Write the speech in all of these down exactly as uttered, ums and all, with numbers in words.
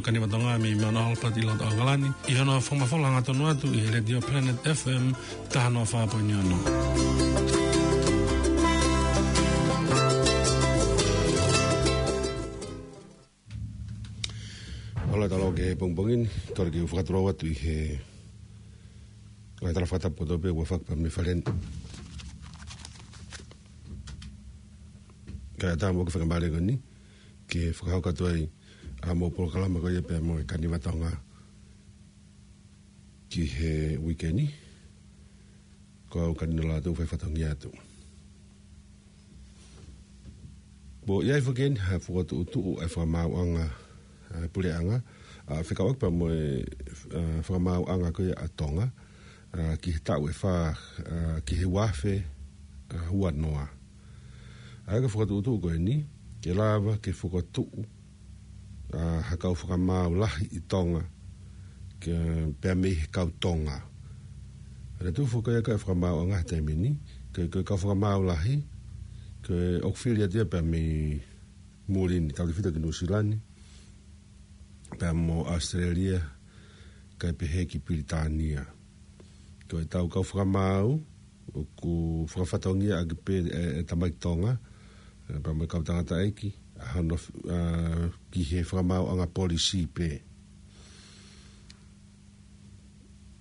Kaniva Tonga mei Mount Albert ʻi loto ʻAokalani, ʻi hono fakamafola hangatonu atu ʻi he Letiō Planet F M taha noa fā poini ono. Hola, talo ke pongipongi ni, talo ke u fakatulou atu ʻi he ngaahi tala fakatapu kotoa pē ʻoku fakapā mei fale ni. Kae ʻatā mo e fakamālō ko eni, ke fakahoko atu ai ʻa e polokalama ko ia pea mo e Kaniva Tonga ki he uike ni, ko au Kanino Lātū fai fatongia atu. Kuo ʻi ai foki eni ha fokotuʻutuʻu ʻa e fakamaauʻanga ʻa e puleʻanga, ʻa, fekauʻaki pea mo e, ʻa, fakamaauʻanga ko ia ʻa Tonga, ʻa, ki he taʻu ʻe fā, ʻa, ki he ua afe, ʻa, ua noa. ʻA ia ko e fokotuʻutuʻu ko eni, ke lava ke fokotuʻu, ʻa, ha kau fakamaau lahi ʻi Tonga, ke pea mei he kau Tonga. ʻA e tuʻu foki ia ko e fakamaauʻanga he taimi ni, ko e, ko e kau fakamaau lahi, ko e ʻoku fili atu ia pea mei muli ni, tautefito ki Nuʻusila ni, pea mo ʻAositelēlia, kae pehē ki Pilitānia. Ko e tau kau fakamaau, ʻoku fakafatongia ʻaki pē ʻe, ʻe tamaiki Tonga, ʻe, pea mo e kau tangataʻeiki, ʻa hono, ʻa, ki he fakamaauʻanga polisī pē.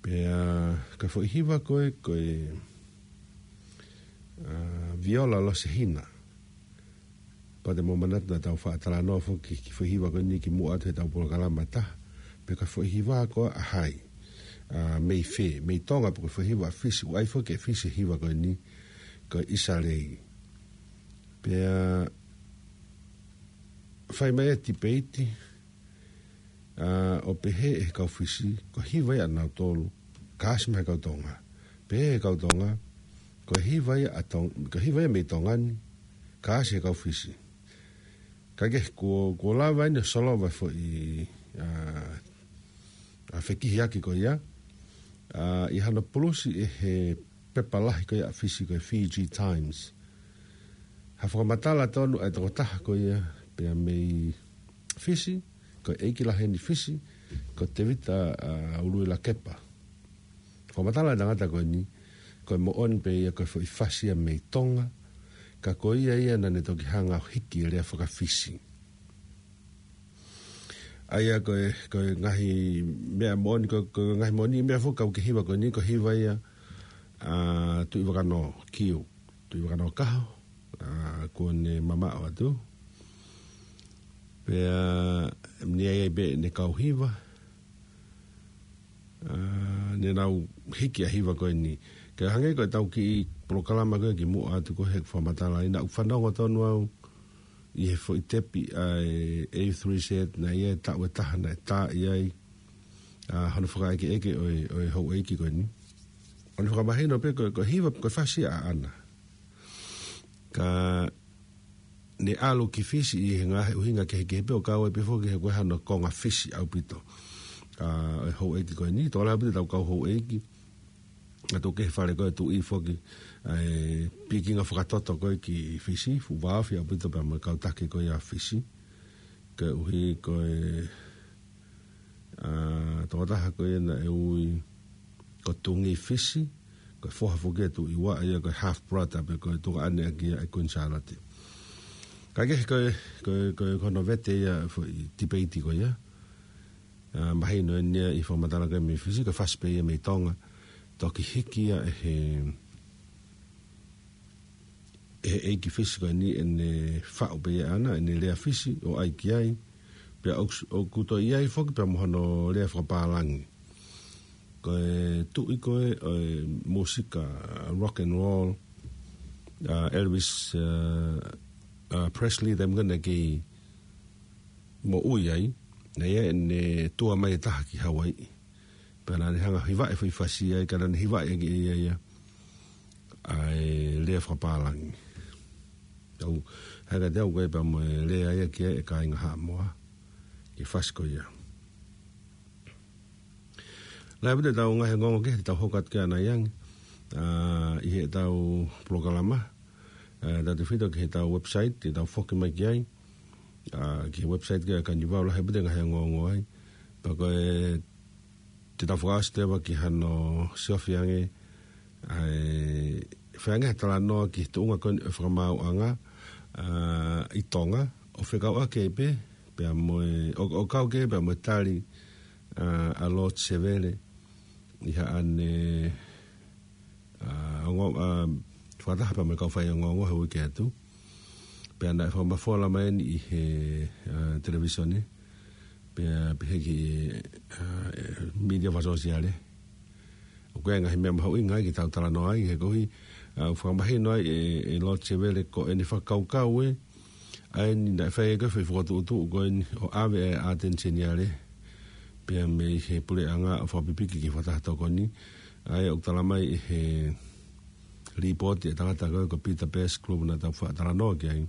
Pea, ko e foʻi hiva ko ē, ko e, ʻa, Viola Losehina. Pea te mou manatu naʻa tau faʻa talanoa foki ki he foʻi hiva ko eni kimuʻa atu he tau polokalama ʻe taha. Pea ko e foʻi hiva ko ē ʻa hai, ʻa, mei fē, mei Tonga pe ko e foʻi hiva ʻa Fisi, ʻoku ʻi ai foki ʻe Fisi e hiva ko eni, ko e ʻIsa Lei. Pea fai mai e tipeiti, ʻa, ʻo pehē ʻe he kau Fisi, ko e hiva ia ʻanautolu, ka ʻasi mei he kau Tonga. Pehē ʻe he kau Tonga, ko e hiva ia ʻa Tong-, ko e hiva ia mei Tonga ni, ka ʻasi he kau Fisi. Kae kehe, kuo, kuo lava eni ʻo solova e foʻi, ʻa, ʻa, fekihiaki ko ia, ʻa, ʻi hano pulusi ʻe he pepa lahi ko ia ʻa Fisi ko e Fiji Times. Ha fakamatala tonu ʻa e tokotaha ko ia pea mei Fisi, ko e ʻeiki lahi eni Fisi, ko Tevita, ʻa, Uluilakepa. Fakamatala ʻa e tangata ko eni, ko e moʻoni pē ia ko e foʻi fasi ia mei Tonga, ka ko ia ia naʻa ne toki hanga ʻo hiki e lea faka-Fisi. ʻA ia ko e, ko e ngaahi meʻa moʻoni, ko, ko e ngaahi moʻoni meʻa foki kau ki he hiva ko eni, ko e hiva ia, ʻa, Tuʻivakanō, Kiu, Tuʻivakanōkaho, ʻa, kuo ne mamaʻo atu. Pea, ʻi ai ai pē ʻene kau hiva, ʻa, ne nau hiki ʻa e hiva ko eni. Kae hangē ko e tau kiʻi polokalama ko ē kimuʻa atu ko ē he fakamatala ʻi naʻa ku fanongo tonu au ʻi he foʻi tepi ʻa e A three Z naʻe ʻi ai e taʻu ʻe taha naʻe tā ʻi ai, ʻa, hono fakaʻekeʻeke ʻo e, ʻo e houʻeiki ko eni. ʻO ne fakamahino pē ko e, ko e hiva, ko e fasi ʻaʻana. Ka ne ʻalu ki Fisi ʻi he ngaahi ʻuhinga kehekehe pē ʻo kau ai pē foki he ko e hano konga Fisi ʻaupito. ʻA, e houʻeiki ko eni, tokolahi ʻaupito tau kau houʻeiki, ʻa, tuku kehe fale ko e tuʻi foki, ʻa e pikinga fakatoto ko ē ki Fisi, fuʻu vāofi ʻaupito pea mo e kau taki ko ia Fisi. Koeʻuhi ko e, ʻa, tokotaha ko ia naʻe ui ko Tungi Fisi, ko e foha foki ʻo e tuʻi ua ia ko e half brother pe ko e tuongaʻane ʻaki ia ʻa e Queen Sālote. Kae kehe ko e, ko e, ko e, ko hono vete ia foʻi tipeiti ko ia. ʻA, mahino eni ia ʻi he fakamatala ko ē mei Fisi, ko e fasi pē ia mei Tonga. Toki hiki ia ʻe he, ʻe he ʻeiki Fisi ko eni ʻene faʻu pē ia ʻaʻana, ʻene lea Fisi ʻo ʻai ki ai. Pea ʻoku, ʻoku toe ʻi ai foki pea mo hono lea fakapālangi. Ko e tuʻi ko ē ʻo e mūsika rock and roll, ʻa, Elvis, ʻa, ʻa, Presley, taimi ko ē naʻe kei moʻui ai, naʻe ʻi ai ʻene tour mai ʻe taha ki Hawaiʻi. Pea naʻa ne hanga ʻo hivaʻi e foʻi fasi ia, ka naʻa ne hivaʻi ʻaki ʻe ia ia ʻa e lea fakapālangi. Tau, hangē kiate au ko e pea mo e lea ia ki ai e kāinga Haʻamoa, ki he fasi ko ia. Lahi ʻaupito ʻetau ngaahi ongoongo kehe te tau hoko atu ki ai ʻanai ange, ʻa, ʻi heʻetau polokalama, ʻa, tautefito ki heʻetau website, te tau foki mai ki ai. ʻa, ki he website ko ē ʻa Kanivau, lahi pē ʻa e ngaahi ongoongo ai. Pea ko e, te tau fakaʻosi atu ki hano siofi ange, ʻa e, fai ange ha talanoa ki he tuʻunga ko eni ʻo e fakamaauʻanga, ʻa, ʻi Tonga, ʻo fekauʻaki pē, pea mo e, ʻo, ʻo kau ki ai pea mo e tali, ʻa, ʻa Lord Sevele, ʻi haʻane, ʻa, ongo, ʻa, fakataha pea mo e kau faiongoongo he uike atu. Pea naʻe fakamafola mai eni ʻi he, ʻa, televīsone. Pea pehē ki, ʻa, e, mītia fakasōsiale. ʻOku ʻi ai e ngaahi meʻa mahuʻinga ai ke tau talanoa ai, he koeʻuhi, ʻa, ʻoku fakamahino ai ʻe, ʻe Lord Sevele ko ʻene fakakaukau ē, ʻa eni naʻe fai ko ē foʻi fokotuʻutuʻu ko eni ʻo ʻave ʻa e ʻAteni Seniale pea mei he puleʻanga ʻo fakapipiki ki he fakataha tokoni. ʻA ia ʻoku talamai ʻe he lipooti ʻa e tangata ko ē ko Peter Pettigrew naʻa tau faʻa talanoa ki ai,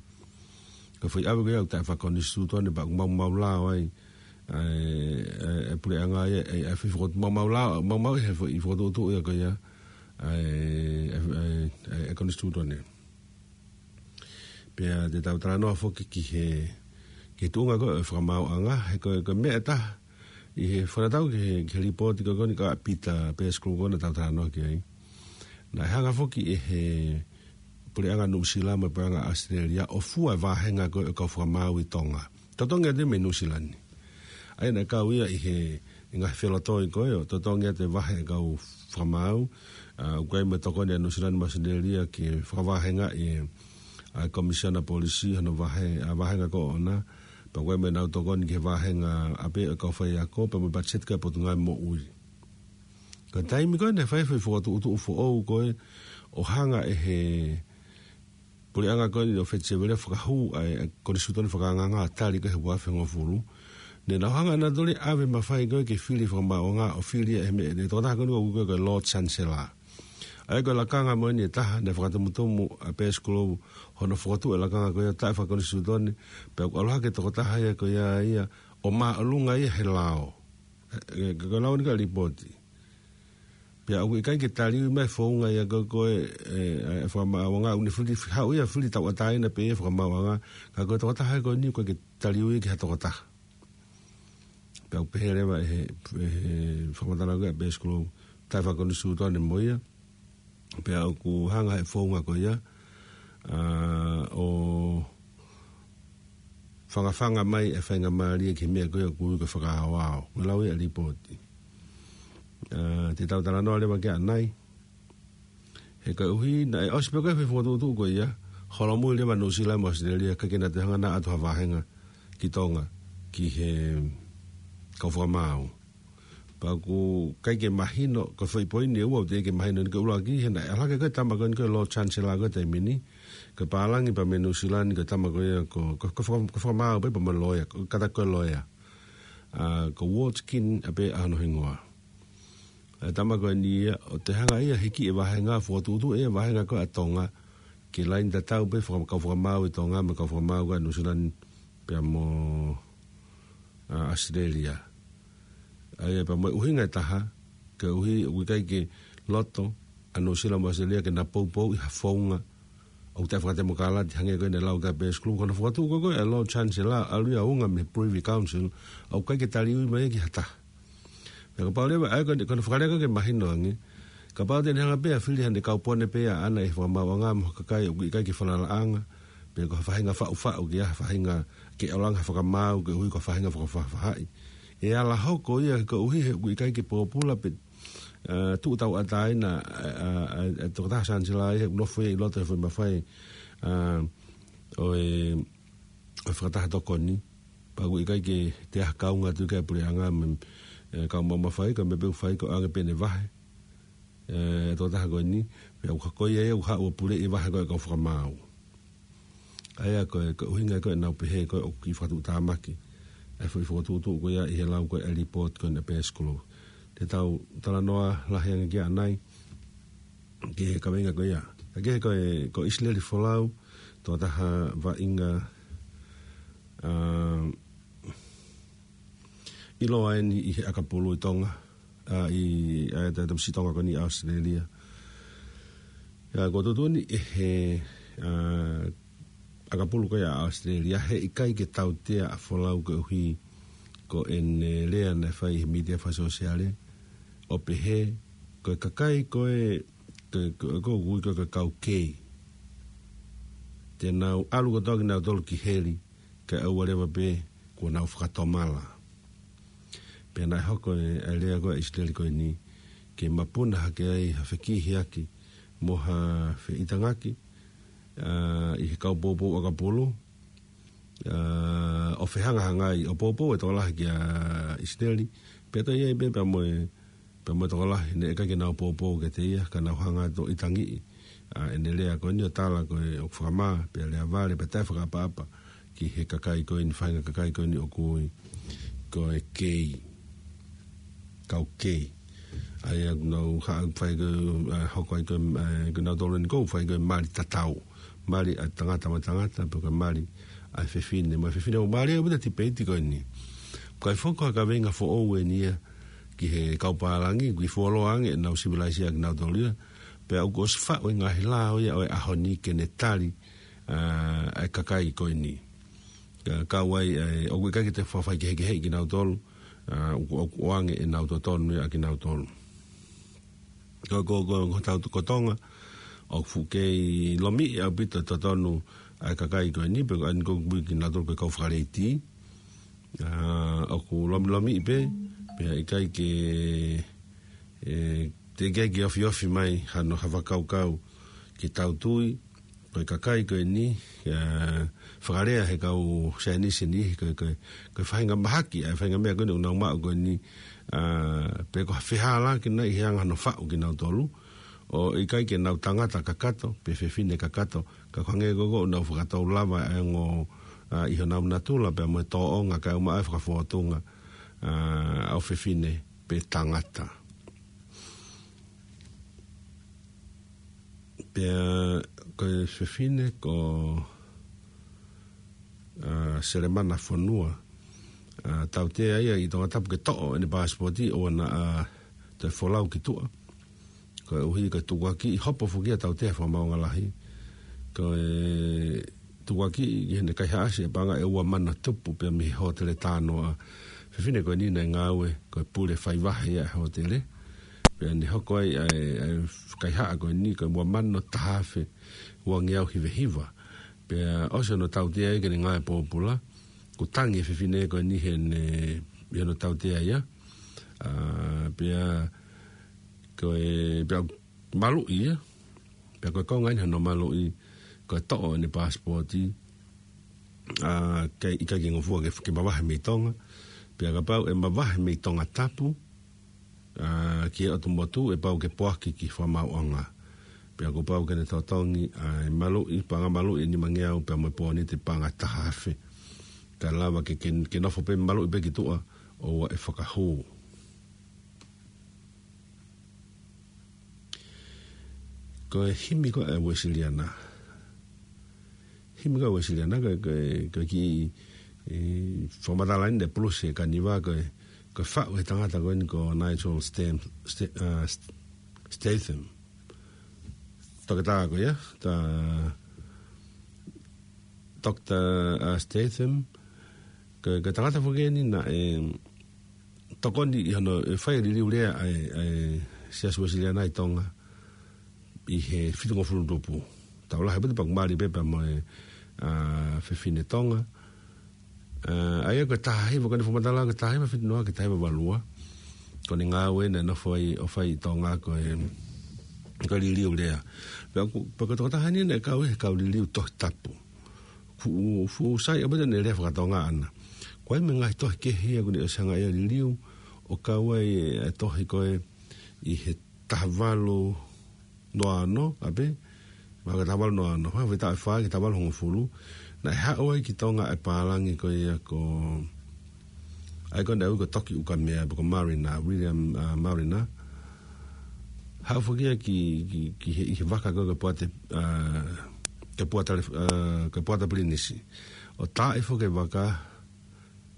ko e foʻi ʻave ko ia ʻoku taʻefakakonisitūtone pea ʻoku maumau lao ai ʻa e, ʻa e, ʻa e puleʻanga ia, ʻa e, ʻa e foʻi fokotuʻu maumau lao, maumau he foʻi fokotuʻutuʻu ia ko ia, ʻa e, ʻa e, ʻa e, ʻa e konisitūtone. Pea te tau talanoa foki ki he, ki he tuʻunga ko ē ʻo e fakamaauʻanga, he ko e, ko e meʻa ʻe taha, ʻi he fakatatau ki he, ki he lipooti ko ē ko eni ʻa Peter Pettigrew ko ē naʻa tau talanoa ki ai. Naʻe hanga foki ʻe he puleʻanga Nuʻusila mo e puleʻanga ʻAositelēlia ʻo fua e vāhenga ko ē ʻo e kau fakamaau ʻi Tonga. Totongi atu mei Nuʻusila ni. ʻA ia naʻe kau ia ʻi he, ʻi he ngaahi felotoi ko ē ʻo totongi atu e vahe ʻa e kau fakamaau, ʻa, ʻoku ʻi ai mo e tokoni ʻa Nuʻusila mo ʻAositelēlia ke fakavāhengaʻi ʻa e Komisiona Polisi hono vahe, ʻa, vāhenga ko ē ʻoʻona, pea ʻoku ʻi ai mo ʻenau tokoni ki he vāhenga ʻapē ʻo e kau faiako, pea mo e patiseti ko ē ʻa e Potungāue Moʻui. Ko e taimi ko ē naʻe fai foʻi fokotuʻutuʻu foʻou ko ē ʻo hanga ʻe he puleʻanga ko eni ʻo Feti Sevele ʻo fakahū ʻa e, ʻa e konisitūtone fakaangaanga ʻo tali ko ē he ua afe hongofulu. Naʻa nau hanga ʻe nautolu ia ʻo ʻave mafai ko ē ke fili fakamaauʻanga ʻo fili ia ʻe he meʻa, ʻe he tokotaha ko eni ʻoku ui ko ē ko e Lord Chancellor. ʻA ia ko e lakanga mo eni ʻe taha naʻe fakatumutumu ʻa Pettigrew hono fokotuʻu e lakanga ko ia taʻefakakonisitūtone, pea ʻoku ʻalu hake e tokotaha ia ko ia ia ʻo māʻolunga ia he lao. ʻE, ʻe, ko e lau eni ko ē ʻa e lipooti. Pea ʻoku ʻikai ke taliui mai e founga ia ko ē ko ē, ʻe, ʻe, fakamaauʻanga, ʻoku ne fili, haʻu ia ʻo fili tauʻatāina pē ia fakamaauʻanga, ka ko e tokotaha ko eni ʻoku ʻikai ke taliui ki ha tokotaha. Pea ʻoku pehē leva ʻe he, ʻe he fakamatala ko ē ʻa Pettigrew, taʻefakakonisitūtone mo ia. Pea ʻoku hanga ʻe he founga ko ia, ʻa, ʻo fangafanga mai e faingamālie ki he meʻa ko ia ʻoku ui ko e fakaaoao. Ko e lau ia ʻa e lipooti. ʻA, te tau talanoa leva ki ai ʻanai. He koeʻuhi naʻe ʻosi pē ko ē foʻi fokotuʻutuʻu ko ia, holomui leva Nuʻusila mo ʻAositelēlia, ʻikai ke na toe hanga ʻo ʻatu ha vāhenga ki Tonga, ki he kau fakamaau. Pea ʻoku ʻikai ke mahino, ko e foʻi poini ʻe ua ʻoku teʻeki ke mahino, ʻi he ʻuluaki, he naʻe ʻalu hake ko ē e tama ko eni ko e Lord Chancellor ko ē he taimi ni, ko e pālangi pea mei Nuʻusila ni, ko e tama ko ia ko, ko, ko faka-, ko e fakamaau pē pea mo e loea, ko e kātaki ko e loea. ʻA, ko Ward Skin ʻapē ʻa hono hingoa. ʻA e tama ko eni ia, ʻo toe hanga ia ʻo hiki e vāhenga, fokotuʻutuʻu e vāhenga ko ē ʻa Tonga, ke laine tatau pē faka-, kau fakamaau ʻi Tonga mo e kau fakamaau ko ē ʻa Nuʻusila ni pea mo, ʻa, ʻAositelēlia. ʻA ia pea mo e ʻuhinga ʻe taha, koeʻuhi ʻoku ʻikai ke loto ʻa Nuʻusila mo ʻAositelēlia ke na poupouʻi ha founga ʻoku taʻefakatemokalati hangē ko ē naʻe lau ki ai ʻa Pettigrew, ko hono fokotuʻu ko ē ko ē e Lord Chancellor, ʻalu ia ʻo unga mei he Privy Council, ʻoku ʻikai ke taliui mai ia ki ha taha. Pea kapau leva, ʻa ia ko eni, ko hono fakalea ko ē ke mahino ange. Kapau te ne hanga pē ʻo fili haʻane kaupone pē ʻaʻana ʻi he fakamaauʻanga mo ha kakai ʻoku ʻikai ke falalaʻanga, pe ko ha faʻahinga faʻufaʻu ki ha faʻahinga ke ʻalu ange ha fakamaau koeʻuhi ko ha faʻahinga fakafaʻafaʻahi. ʻE ala hoko ia koeʻuhi he ʻoku ʻikai ke pōpula pe, ʻa, tuʻu tauʻatāina, ʻa, ʻa, ʻa, ʻa e tokotaha Chancellor ia he ʻoku nofo ia ʻi loto he foʻi mafai, ʻa, ʻo e, ʻo e fakataha tokoni. Pea ʻoku ʻikai ke toe ʻi ai ha kaunga atu ki ai e puleʻanga mo e, ʻe, kau maʻu mafai, ko e meʻa pē ʻoku fai ko e ʻoange pē ʻene vahe. ʻE, tokotaha ko eni, pea ʻoku, ko ia ia ʻoku haʻu ʻo puleʻi e vahe ko ē ʻa e kau fakamaau. ʻA ia ko e, ko e ʻuhinga ko ē naʻa ku pehē ko ē ʻoku kiʻi fakatuʻutāmaki ʻa e foʻi fokotuʻutuʻu ko ia ʻi he lau ko ē ʻa e lipooti ko eni ʻa Pettigrew. Te tau talanoa lahi ange ki ai ʻanai, ki he kaveinga ko ia. Ka ko e, ko ʻIsileli Folau, tokotaha vaʻinga, ʻa, ʻiloa eni ʻi he ʻakapulu ʻi Tonga, ʻa, ʻi, ʻa, ʻa e Tamaiti Tonga ko eni ʻi ʻAositelēlia. ʻA, kuo tuʻutuʻuni ʻe he, ʻa, ʻakapulu ko ia ʻa ʻAositelēlia, heʻikai ke tautea ʻa Folau koeʻuhi ko ʻene lea naʻe fai he mītia fakasōsiale, ʻo pehē, ko e kakai ko ē, ko, ko, ko, ko, ko e kau kei. Te nau ʻalu kotoa kinautolu ki heli, kae ʻoua leva pē kuo nau fakatomala. Pea naʻe hoko e, ʻa e lea ko ē ʻa ʻIsileli ko eni, ke mapuna hake ai ha fekihiaki mo ha feʻitangaki, ʻa, ʻi he kau poupou ʻakapulu, ʻa, ʻo fehangahangai, ʻo poupou e tokolahi kia ʻIsileli, pea toe ʻi ai pē pea mo e, pea mo e tokolahi naʻe ʻikai ke nau poupou kiate ia, ka nau hanga atu ʻo ʻitangiʻi ʻa ʻene lea ko eni ʻo tala ko e ʻoku fakamā, pea lea vale, pea taʻefakaʻapaʻapa ki he kakai ko eni, faʻahinga kakai ko eni ʻoku ui ko e kei, kau kei. ʻA ia ʻoku nau ha-, fai ko e, ʻa, hoko ai ko e, ʻa, ko kinautolu eni ʻoku fai ko e mali tatau. Mali ʻa e tangata mo e tangata, pe ko e mali ʻa e fefine mo e fefine. ʻOku mālie ʻaupito e tipeiti ko eni. Ko e foki ko e kaveinga foʻou eni ia ki he kau pālangi, ʻoku fuoloa ange ʻenau sivilaise ʻa kinautolu ia. Pea ʻoku ʻosi faʻu e ngaahi lao ia ʻo e ʻaho ni ke ne tali, ʻa, ʻa e kakai ko eni. Ka, kau ai, ʻa e, ʻoku ʻikai ke toe fakafaikehekeheʻi kinautolu, ʻa, ʻoku, ʻoku ʻoange ʻenau totonu ia ʻa kinautolu. Ko, ko, ko, ko tau, ko Tonga, ʻoku fuʻu kei lomiʻi ʻaupito totonu ʻa e kakai ko eni, pe ko eni ʻoku ui kinautolu ko e kau Fakaleiti. ʻA, ʻoku lomilomiʻi pē, pea ʻikai ke, ʻe, teʻeki ai ke ofiofi mai hano ha fakakaukau ke tau tui, ko e kakai ko eni, ʻa, fakalea he kau saienisi ni, ko, ko, ko e faʻahinga mahaki, ʻa e faʻahinga meʻa ko eni ʻoku nau maʻu ko eni, ʻa, pe ko ha fehālaaki nai he anga hano faʻu kinautolu, ʻo ʻikai ke nau tangata kakato, pe fefine kakato, ka ko e hangē ko ē ʻoku nau fakatou lava ʻa e ongo, ʻa, ʻi honau natula pea mo e tōʻonga kae ʻumaʻā e fakafōtunga, ʻa, ʻo fefine pe tangata. Pea ko e fefine ko, ʻa, Selemana Fonua, ʻa, tautea ia ʻi Tongatapu ke toʻo ʻene pasipoti ʻoua naʻa, ʻa, toe folau ki tuʻa. Koeʻuhi ko e tukuakiʻi, hopo foki ia tautea he Fakamaauʻanga Lahi. Ko e tukuakiʻi ki heʻene kaihaʻasi e paʻanga ʻe ua mano tupu pea mei he hōtele Tānoa. Fefine ko eni naʻe ngāue ko e pule faivahe ia ʻa e hōtele. Pea ne hoko ai ʻa e, ʻa e kaihaʻa ko eni ko e ua mano taha afe uangeau hiva hiva. Pea ʻosi hono tautea ia ke ne ngāue pōpula, kuo tangi e fefine ko eni heʻene, ʻi hono tautea ia. ʻA, pea ko e, pea maluʻi ia. Pea ko e konga eni hono maluʻi, ko e toʻo ʻene pasipoti, ʻa, ke ʻikai ke ngofua ke, ke mavahe mei Tonga. Pea kapau ʻe mavahe mei Tongatapu, ʻa, ki he ʻotu motu ʻe pau ke poaki ki Fakamaauʻanga. Pea kuo pau ke ne totongi ʻa e maluʻi, paʻanga maluʻi ʻe nimangeau pea mo e pōnite paʻanga taha afe. Kae lava ke, ke, ke nofo pē maluʻi pē ki tuʻa ʻoua ʻe fakahū. Ko e himi ko ē ʻa e Uēsiliana. Himi ko ē ʻa e Uēsiliana, ko e, ko e, ko e kiʻi, ʻe, fakamatala eni ʻe Pulusi Kaniva, ko e, ko e faʻu ʻe he tangata ko eni ko Nigel Stam-, Sta-, ʻa, St-, Statham. Toketā ko ia, tā, Doctor, ʻa, Statham, ko e, ko e tangata foki eni naʻe tokoni ʻi hono, ʻe fai e liliu lea ʻa e, ʻa e Siasi Uēsiliana ʻi Tonga ʻi he fitungofulu tupu. Tau lahi pē te paku mali pē pea mo e, ʻa, fefine Tonga. ʻA, ʻa ia ko e taha hiva, ko ʻene fakamatala ko e taha hiva fitu noa ki he taha hiva valu ua. Ko ʻene ngāue naʻe nofo ai ʻo fai ʻi Tonga ko e, ko e liliu lea. Pea ko, pea ko e tokotaha eni naʻe kau he kau liliu Tohi Tapu. Fuʻu, fuʻu sai ʻaupito ʻene lea faka-Tonga ʻana. Ko e meʻa ngaahi tohi kehe ia ʻoku ne ʻosi hanga ia ʻo liliu, ʻo kau ai e, e tohi ko ē ʻi he taha valu noa ono, ʻa pē, mahalo ko e taha valu noa ono, ha, fai taʻu ʻe fā ki he taha valu hongofulu, naʻe haʻu ai ki Tonga e pālangi ko ia ko, ʻa ia ko ē naʻe ui ko Toki ʻUkamea, pe ko Mariner, William, ʻa, Mariner. Haʻu foki ia ki, ki, ki he, ʻi he vaka ko ē ko e Puate, ʻa, ko e Puata, ʻa, ko e Puata Pilinisi. ʻO taaʻi foki e vaka,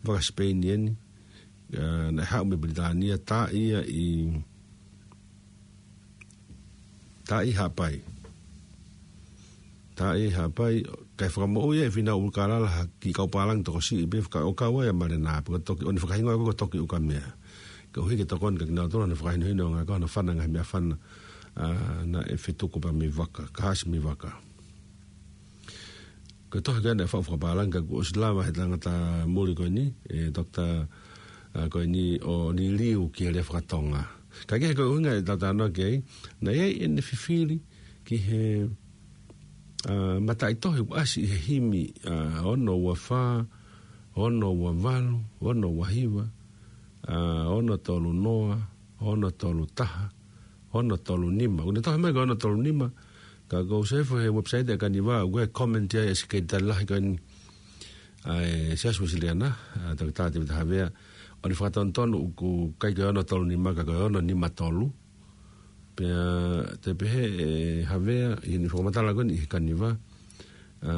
vaka Sipeini eni, ʻa, naʻe haʻu mei Pilitānia, taaʻi ia ʻi, taaʻi Haʻapai. Taʻe Haʻapai, kae fakamoʻui ʻe Fīnau ʻUlukalala ha kiʻi kau pālangi tokosiʻi pē faka-, ʻo kau ai ʻa Male Nā, pea ko e toki, ʻo ne fakahinohino ko e toki ukamea. Koeʻuhi ke tokoni kia kinautolu ʻa e fakahinohino ʻo e ngaahi, ko hono fana ngaahi meʻafana, ʻa, naʻe fetuku pea mei Vaka, Kahasi mei Vaka. Ko e tohi ko ē naʻe faʻu fakapālangi ka kuo ʻosi lava ʻe he tangata muli ko eni, ʻe Doctor, ʻa, ko eni ʻo liliu ki he lea fakatonga. Ka ko e ʻuhinga ʻetau talanoa ki ai, naʻe ʻi ai ʻene fifili ki he, ʻa, mataʻitohi ʻoku ʻasi ʻi he himi, ʻa, ono ua fā, ono ua valu, ono ua hiva, ʻa, ono tolu noa, ono tolu taha, ono tolu nima. ʻOku ne tohi mai ko e ono tolu nima, ka ko e sefo he website ʻa e Kaniva, ʻoku ʻi ai e comment ia ʻa e Sekelitali Lahi ko eni ʻa e Siasi Uēsiliana, ʻa Toketā Tēvita Havea, ʻo ne fakatonutonu ʻoku ʻikai ko e ono tolu nima ka ko e ono nima tolu. Pea toe pehē ʻe Havea, ʻi heʻene fakamatala ko eni ʻi he Kaniva, ʻa,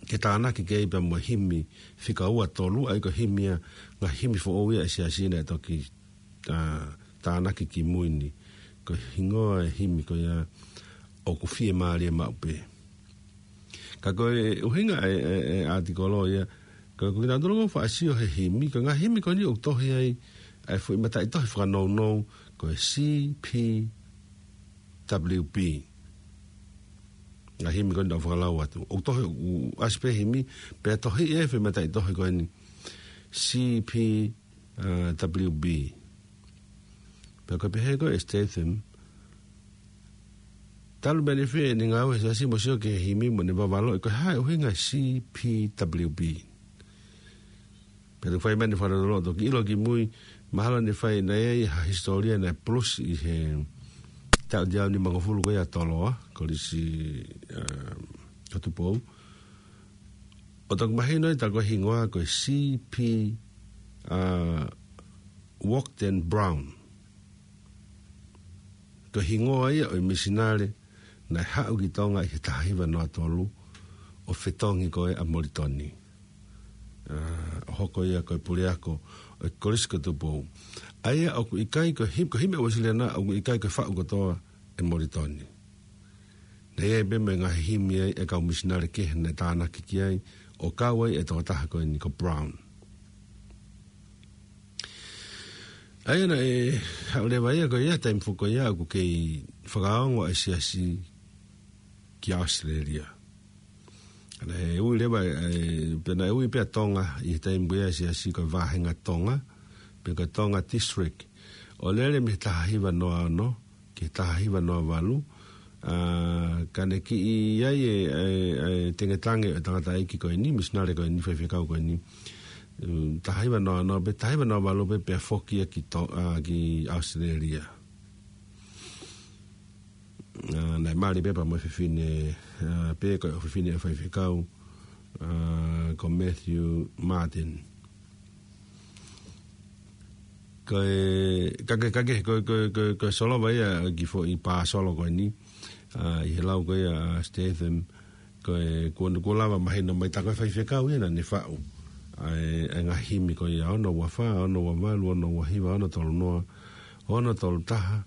ke tānaki ki ai pea mo e himi fika ua tolu, ʻa ia ko e himi ia, ngaahi himi foʻou ia ʻa e Siasi naʻe toki, ʻa, tānaki ki mui ni. Ko e hingoa e himi ko ia ʻOku Fiemālie Maʻu Pē. Ka ko e ʻuhinga e, e, e ʻātikolo ia, ka ko kinautolu ʻoku faʻa sio he himi, ko e ngaahi himi ko eni ʻoku tohi ai ʻa e foʻi mataʻitohi fakanounou, ko e C P W B. Ngaahi himi ko eni ʻoku fakalau atu. ʻOku tohi, ʻoku ʻasi pē himi, pea tohi e foʻi mataʻitohi ko eni C P, ʻa, W B. Pea ko e pehē ko ē ʻe Statham, talu mei ai ʻene fai ʻene ngāue he Siasi mo sio ki he himi mo ne vavalo, ko e hā e ʻuhinga C P W B. Pea toe fai mai ʻene fakalotoloto, toki ʻilo ki mui, mahalo ne fai naʻe ʻi ai ha hisitōlia naʻe pulusi ʻi he taʻu teau nimangofulu ko ia ʻa Toloa, Kolisi, ʻa, ʻo Tupou. ʻO toki mahino ai tā ko e hingoa ko e C P, ʻa, Wharton Brown. Ko e hingoa ia ʻo e misinale naʻe haʻu ki Tonga ʻi he taha hiva noa tolu ʻo fetongi ko ē ʻa Molitoni. ʻA, ʻo hoko ia ko e puleako ʻo e Kolisi ko Tupou. ʻA ia ʻoku ʻikai ko e him-, ko e himi ʻa Uēsiliana ʻoku ʻikai ko e faʻu kotoa ʻe Molitoni. Naʻe ʻi ai pē mo e ngaahi himi ai ʻa e kau misinale kehe naʻe tānaki ki ai, ʻo kau ai e tokotaha ko eni ko Brown. ʻA ia naʻe haʻu leva ia ko ia, taimi foki ko ia ʻoku kei fakaongo ʻa e Siasi ki ʻAositelēlia. Naʻe ui leva, ʻe, pea naʻe ui pē ʻa Tonga ʻi he taimi ko ia ʻa e Siasi ko e Vāhenga Tonga, pe ko e Tonga District. ʻO lele mei he taha hiva noa ono ki he taha hiva noa valu, ʻa, ka ne kiʻi ʻi ai e, e, e tengetange ʻo e tangataʻeiki ko eni, misinale ko eni, faifekau ko eni. Mm, taha hiva noa ono, pe taha hiva noa valu pē, pea foki ia ki To-, ʻa, ki ʻAositelēlia. ʻA, naʻe mali pē pea mo e fefine, ʻa, pe ko e ʻofefine ʻo e faifekau, ʻa, ko Matthew Martin. Ko e, ka ke, ka ke, ko, ko, ko, ko e solova ia ki he foʻi pāsolo ko eni, ʻa, ʻi he lau ko ia ʻa Statham, ko e, kuo, kuo lava mahino mai tā ko e faifekau ia naʻa ne faʻu ʻa e, ʻa e ngaahi himi ko ia ono ua fā, ono ua valu, ono ua hiva, ono tolu noa, ono tolu taha,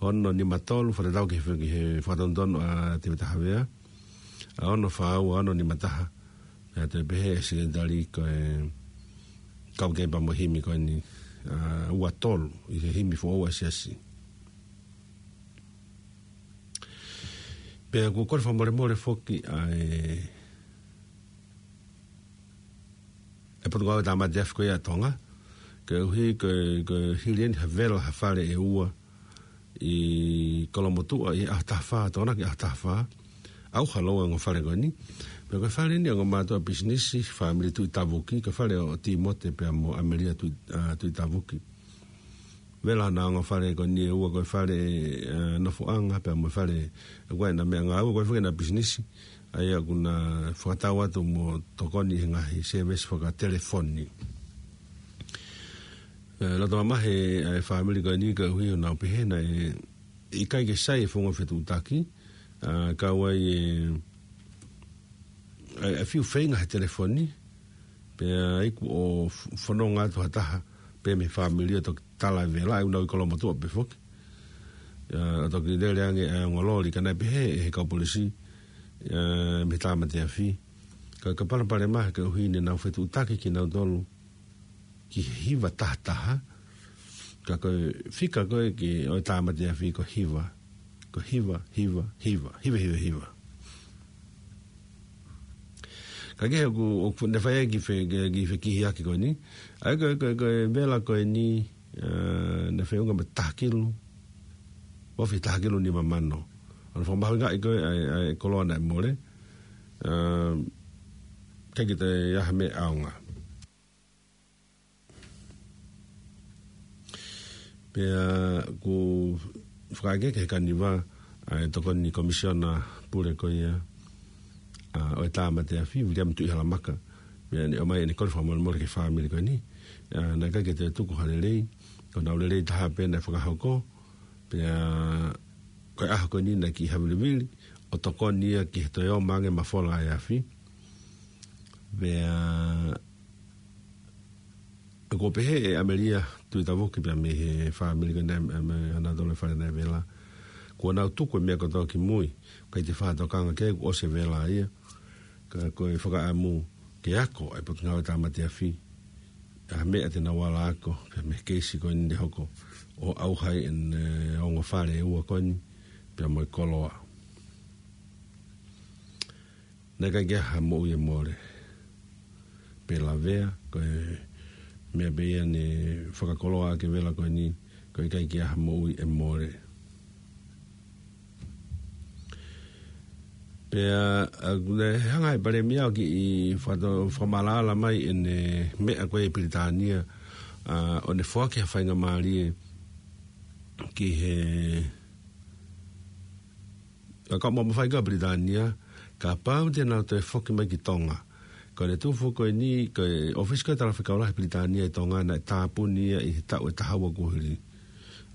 ono nima tolu, fakatatau ki he, ki he fakatonutonu ʻa Tēvita Havea, ʻa, ono fā ua, ono nima taha. Pea toe pehē ʻe he Sekelitali ko e kau ki ai pea mo e himi ko eni, ʻa, ua tolu, ʻi he himi foʻou ʻa e Siasi. Pea ʻoku kole fakamolemole foki ʻa e, ʻa e Potungāue Tāmate Afi ko ia ʻa Tonga, koeʻuhi ko e, ko e hili eni ha vela ha fale ʻe ua ʻi Kolomotuʻa ʻi he ʻaho taha fā, Tokonaki ʻaho taha fā. ʻAuha leva e ongo fale ko eni. Pea ko e fale eni ʻa e ongo mātuʻa pisinisi, fāmili Tuʻi Tavuki, ko e fale ʻo Tīmote pea mo ʻAmelia Tuʻi, ʻa, Tuʻi Tavuki. Vela ʻa e ongo fale ko eni ʻe ua, ko e fale, ʻa, nofoʻanga pea mo e fale, ko e ʻena meʻa ngāue, ko e fale ʻena pisinisi. ʻA ia ʻoku na fakatau atu mo tokoni he ngaahi sēvesi fakatelefoni. ʻE, loto mamahi ʻa e fāmili ko eni koeʻuhi ʻoku nau pehē naʻe ʻikai ke sai e founga fetuʻutaki, ʻa, kau ai e, ʻa, ʻa e fiu feinga he telefoni, pea iku ʻo f-, fononga atu ha taha pē mei he fāmili ʻo toki tala e vela, ʻa ia ʻoku nau ʻi Kolomotuʻa pē foki. ʻa, ʻo toki lele ange ʻa e ongo loli, ka naʻe pehē ʻe he kau polisi, ʻa, mei Tāmate Afi, ka, ka palopalema he koeʻuhi ne nau fetuʻutaki kinautolu ki he hiva taha taha, ka ko e fika ko ē ki ʻo e Tāmate Afi ko e hiva, ko e hiva, hiva, hiva, hiva, hiva, hiva. Ka ke ʻoku, ʻoku ne fai ai ki he fe-, ki he, ki he fekihiaki ko eni. ʻA ia ko, ko, ko e vela ko eni, ʻa, naʻe feʻunga mo e taha kilu, ofi taha kilu nima mano. ʻOku fakamahuʻingaʻi ko ē ʻa e, ʻa e koloa naʻe mole. ʻA, ʻikai ke toe ʻi ai ha meʻa ʻaonga. Pea ʻoku fakaʻeke ki he kaniva ʻa e tokoni komisiona pule ko ia, ʻa, ʻo e Tāmate Afi, Viliami Tuʻihalamaka. Pea ne ʻomai ʻene kole fakamolemole ki he fāmili ko eni. ʻA, naʻe ʻikai ke toe tuku ha lelei, ko ʻenau lelei taha pē naʻe fakahoko. Pea ko e ʻaho ko eni naʻe kiʻi havilivili ʻo tokoni ia ki he toe ō mai ange mafola ʻa e afi. Pea ʻoku pehē ʻe ʻAmelia Tuʻitavuki pea mei he fāmili ko eni, ʻa, mei Anatole Fale naʻe vela, kuo nau tuku e meʻa kotoa ki mui, ʻikai te fai ha tokanga ki ai, kuo ʻosi e vela ia. Ka ko e fakaʻamu ke ako ʻa e Potungāue Tāmate Afi ʻa e meʻa te nau ala ako pea mei he keisi ko eni naʻe hoko, ʻo ʻauha ai ʻene ongo fale ʻe ua ko eni pea mo e koloa. Naʻe ʻikai ke ʻi ai ha moʻui ʻe mole. Pea lavea, ko e meʻa pē ia ne fakakoloa ʻaki e vela ko eni, ko e ʻikai ke ʻi ai ha moʻui ʻe mole. Pea, ʻa, ne hanga ʻe he Palēmia ʻo kiʻi fakato-, fakamaʻalaʻala mai ʻene meʻa ko ē ʻi Pilitānia, ʻa, ʻo ne foaki ha faingamālie ki he, ʻa, kau mamafa ʻi Pilitānia, kapau te nau toe foki mai ki Tonga. Ko ʻene tuʻu foki ko eni, ko e ʻōfisi ko ē Talafekau Lahi Pilitānia ʻi Tonga naʻe tāpuni ia ʻi he taʻu ʻe taha ua kuo hili.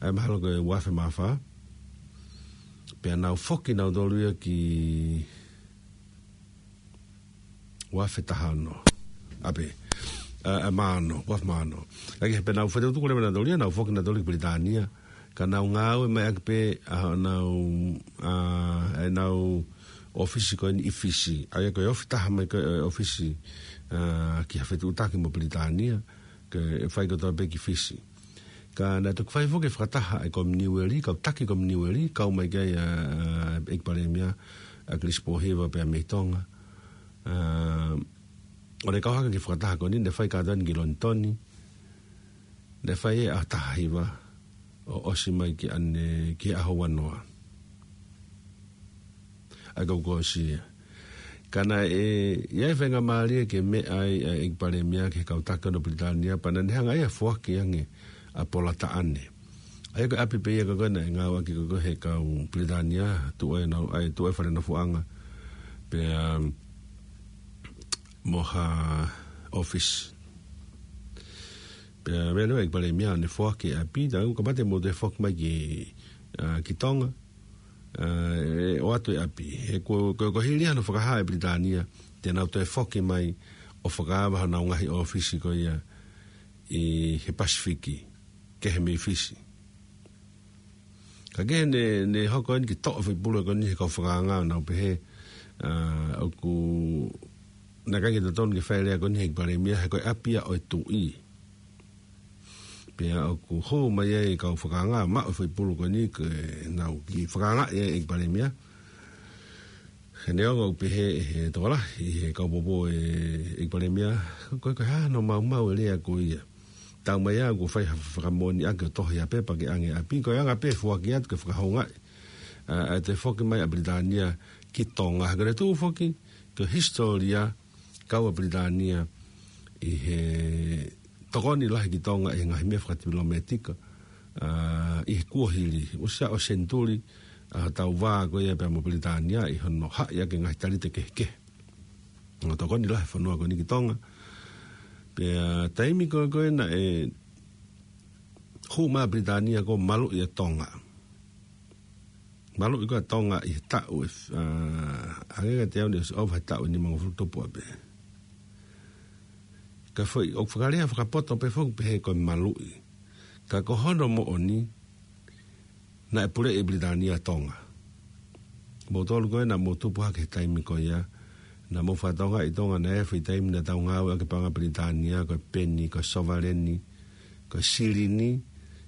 ʻA ia mahalo ko e ua afe mā fā. Pea nau foki nautolu ia ki ua afe taha ono. ʻApe. ʻA, ʻa, mā ono, ua afe mā ono. ʻA ia ke pea nau fetuʻutuʻu leva nautolu ia, nau foki nautolu ki Pilitānia. Ka nau ngāue mai ʻaki pē ʻa honau, ʻa, ʻenau ʻōfisi ko eni ʻi Fisi. ʻA ia ko e ofi taha mai ko ē ʻo e ʻōfisi, ʻa, ki ha fetuʻutaki mo Pilitānia, ke fai kotoa pē ki Fisi. Ka naʻe toki fai foki e fakataha ʻa e Kominiueli, kau taki Kominiueli, kau mai ki ai ʻa, ʻa, ʻEiki Palēmia, ʻa Kilisi Pōhiva pea mei Tonga. ʻA, ʻo ne kau hake ki he fakataha ko eni, ne fai kātoa eni ki Lonitoni, ne fai ʻi he ʻaho taha hiva, ʻo ʻosi mai ki ʻanenai ki he ʻaho ua noa. ʻA ia ko ʻosi ia. Ka naʻe ʻi ai e faingamālie ke meʻa ai ʻa e ʻEiki Palēmia ki he kau taki ʻo Pilitānia, pea naʻa ne hanga ia ʻo foaki ange ʻa Polataʻane. ʻA ia ko e ʻapi pē ia ko ē naʻe ngāueʻaki ko ē ʻe he kau Pilitānia, tuʻu ai ʻenau, ʻa e tuʻu ai e fale nofoʻanga. Pea, um, mo ha ʻōfisi. Pea meʻa leva e ʻEiki Palēmia ʻo ne foaki e ʻapi, tā ʻoku kamata mou toe foki mai ki, ʻa, ki Tonga, ʻa, ʻe ʻoatu e ʻapi. He ko, ko, ko e hili ia hono fakahā ʻe Pilitānia te nau toe foki mai ʻo fakaava honau ngaahi ʻōfisi ko ia ʻi he Pasifiki, kehe mei Fisi. Ka ke ne, ne hoko eni ke toʻo e foʻi pulu ko eni ʻe he kau fakaanga ʻo nau pehē, ʻa, ʻoku, naʻe ʻikai ke totonu ke fai e lea ko eni ʻe he ʻEiki Palēmia he ko e ʻapi ia ʻo e tuʻi. Pea ʻoku hū mai ai e kau fakaanga maʻu e foʻi pulu ko eni ke nau kiʻi fakaangaʻi ai e ʻEiki Palēmia. He neongo ʻoku pehē ʻe he tokolahi ʻi he kau poupou e ʻEiki Palēmia, ko e, ko e hā hono maumau e lea ko ia. Taumaiā kuo fai ha fakamoʻoniʻaki ʻo tohi ha pepa ke ʻange ʻapi, ko e anga pē e foaki atu ke fakahoungaʻi, ʻa, ʻa e toe foki mai ʻa Pilitānia ki Tonga. Ka ko ʻene tuʻu foki, ko e hisitōlia kau ʻa Pilitānia ʻi he tokoni lahi ki Tonga ʻi he ngaahi meʻa fakatipilometika, ʻa, ʻi he kuohili, ʻosi aʻu senituli, ʻa, hotau vā ko ia pea mo Pilitānia ʻi hono haʻi ʻaki e ngaahi talite kehekehe. Naʻe tokoni lahi e fonua ko eni ki Tonga. Pea taimi ko ē ko ē naʻe hū mai ʻa Pilitānia kuo maluʻi ʻa Tonga. Maluʻi ko ē ʻa Tonga ʻi he taʻu ʻe, ʻa, hangē kiate au naʻe ʻosi ʻova he taʻu ʻe nimangofulu tupu ʻapē. Ka foʻi, ʻoku fakalea fakapoto pē foki pehē ko e maluʻi. Ka ko hono moʻoni, Naʻe puleʻi ʻe Pilitānia ʻa Tonga. Moutolu ko ē naʻa mou tupu hake he taimi ko ia, naʻa mou fakatokangaʻi ʻi Tonga naʻe ʻi ai e foʻi taimi naʻa tau ngāueʻaki e paʻanga Pilitānia, ko e peni, ko e sovaleni, ko e silini,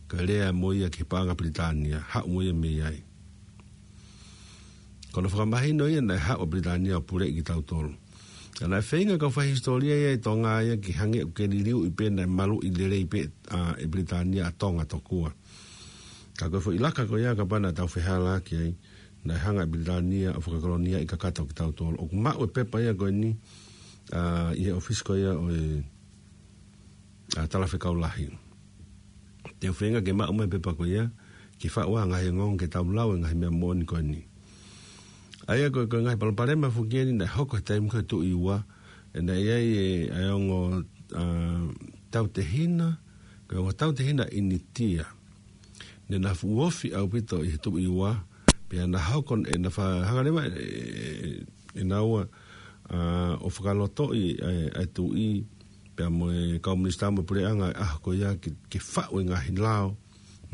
ko e lea mo ia ki he paʻanga Pilitānia, haʻu mo ia mei ai. Ko hono fakamahino ia naʻe haʻu ʻa Pilitānia ʻo puleʻi kitautolu. Ka naʻe feinga e kau faihisitōlia ia ʻi Tonga ia ke hangē ʻoku ke liliuʻi pē naʻe maluʻi lelei pē ʻa e Pilitānia ʻa Tonga tokua. Ka ko e foʻi laka ko ia kapau naʻa tau fehālaaki ai, naʻe hanga ʻe Pilitānia ʻo fakakoloniaʻi kakato kitautolu. ʻOku maʻu e pepa ia ko eni, ʻa, ʻi he ʻōfisi ko ia ʻo e, ʻa, Talafekau Lahi. Te u feinga ke maʻu mai e pepa ko ia, ke faʻu ʻa e ngaahi ongoongo ke tau lau e ngaahi meʻa moʻoni ko eni. ʻA ia ko e, ko e ngaahi palopalema foki eni naʻe hoko he taimi ko ē ʻo e Tuʻi Ua, ʻe naʻe ʻi ai e, ʻa e ongo, ʻa, tautehina, ko e ongo tautehina ʻInitia. Naʻa na fuʻu ofi ʻaupito ʻi he Tuʻi Ua, pea na hoko ʻe na fa-, hanga leva ʻe, ʻe, ʻe naua, ʻa, ʻo fakalotoʻi ʻa e, ʻa e tuʻi, pea mo e kau minisitā mo e puleʻanga ʻi he ʻaho ko ia ke, ke faʻu e ngaahi lao,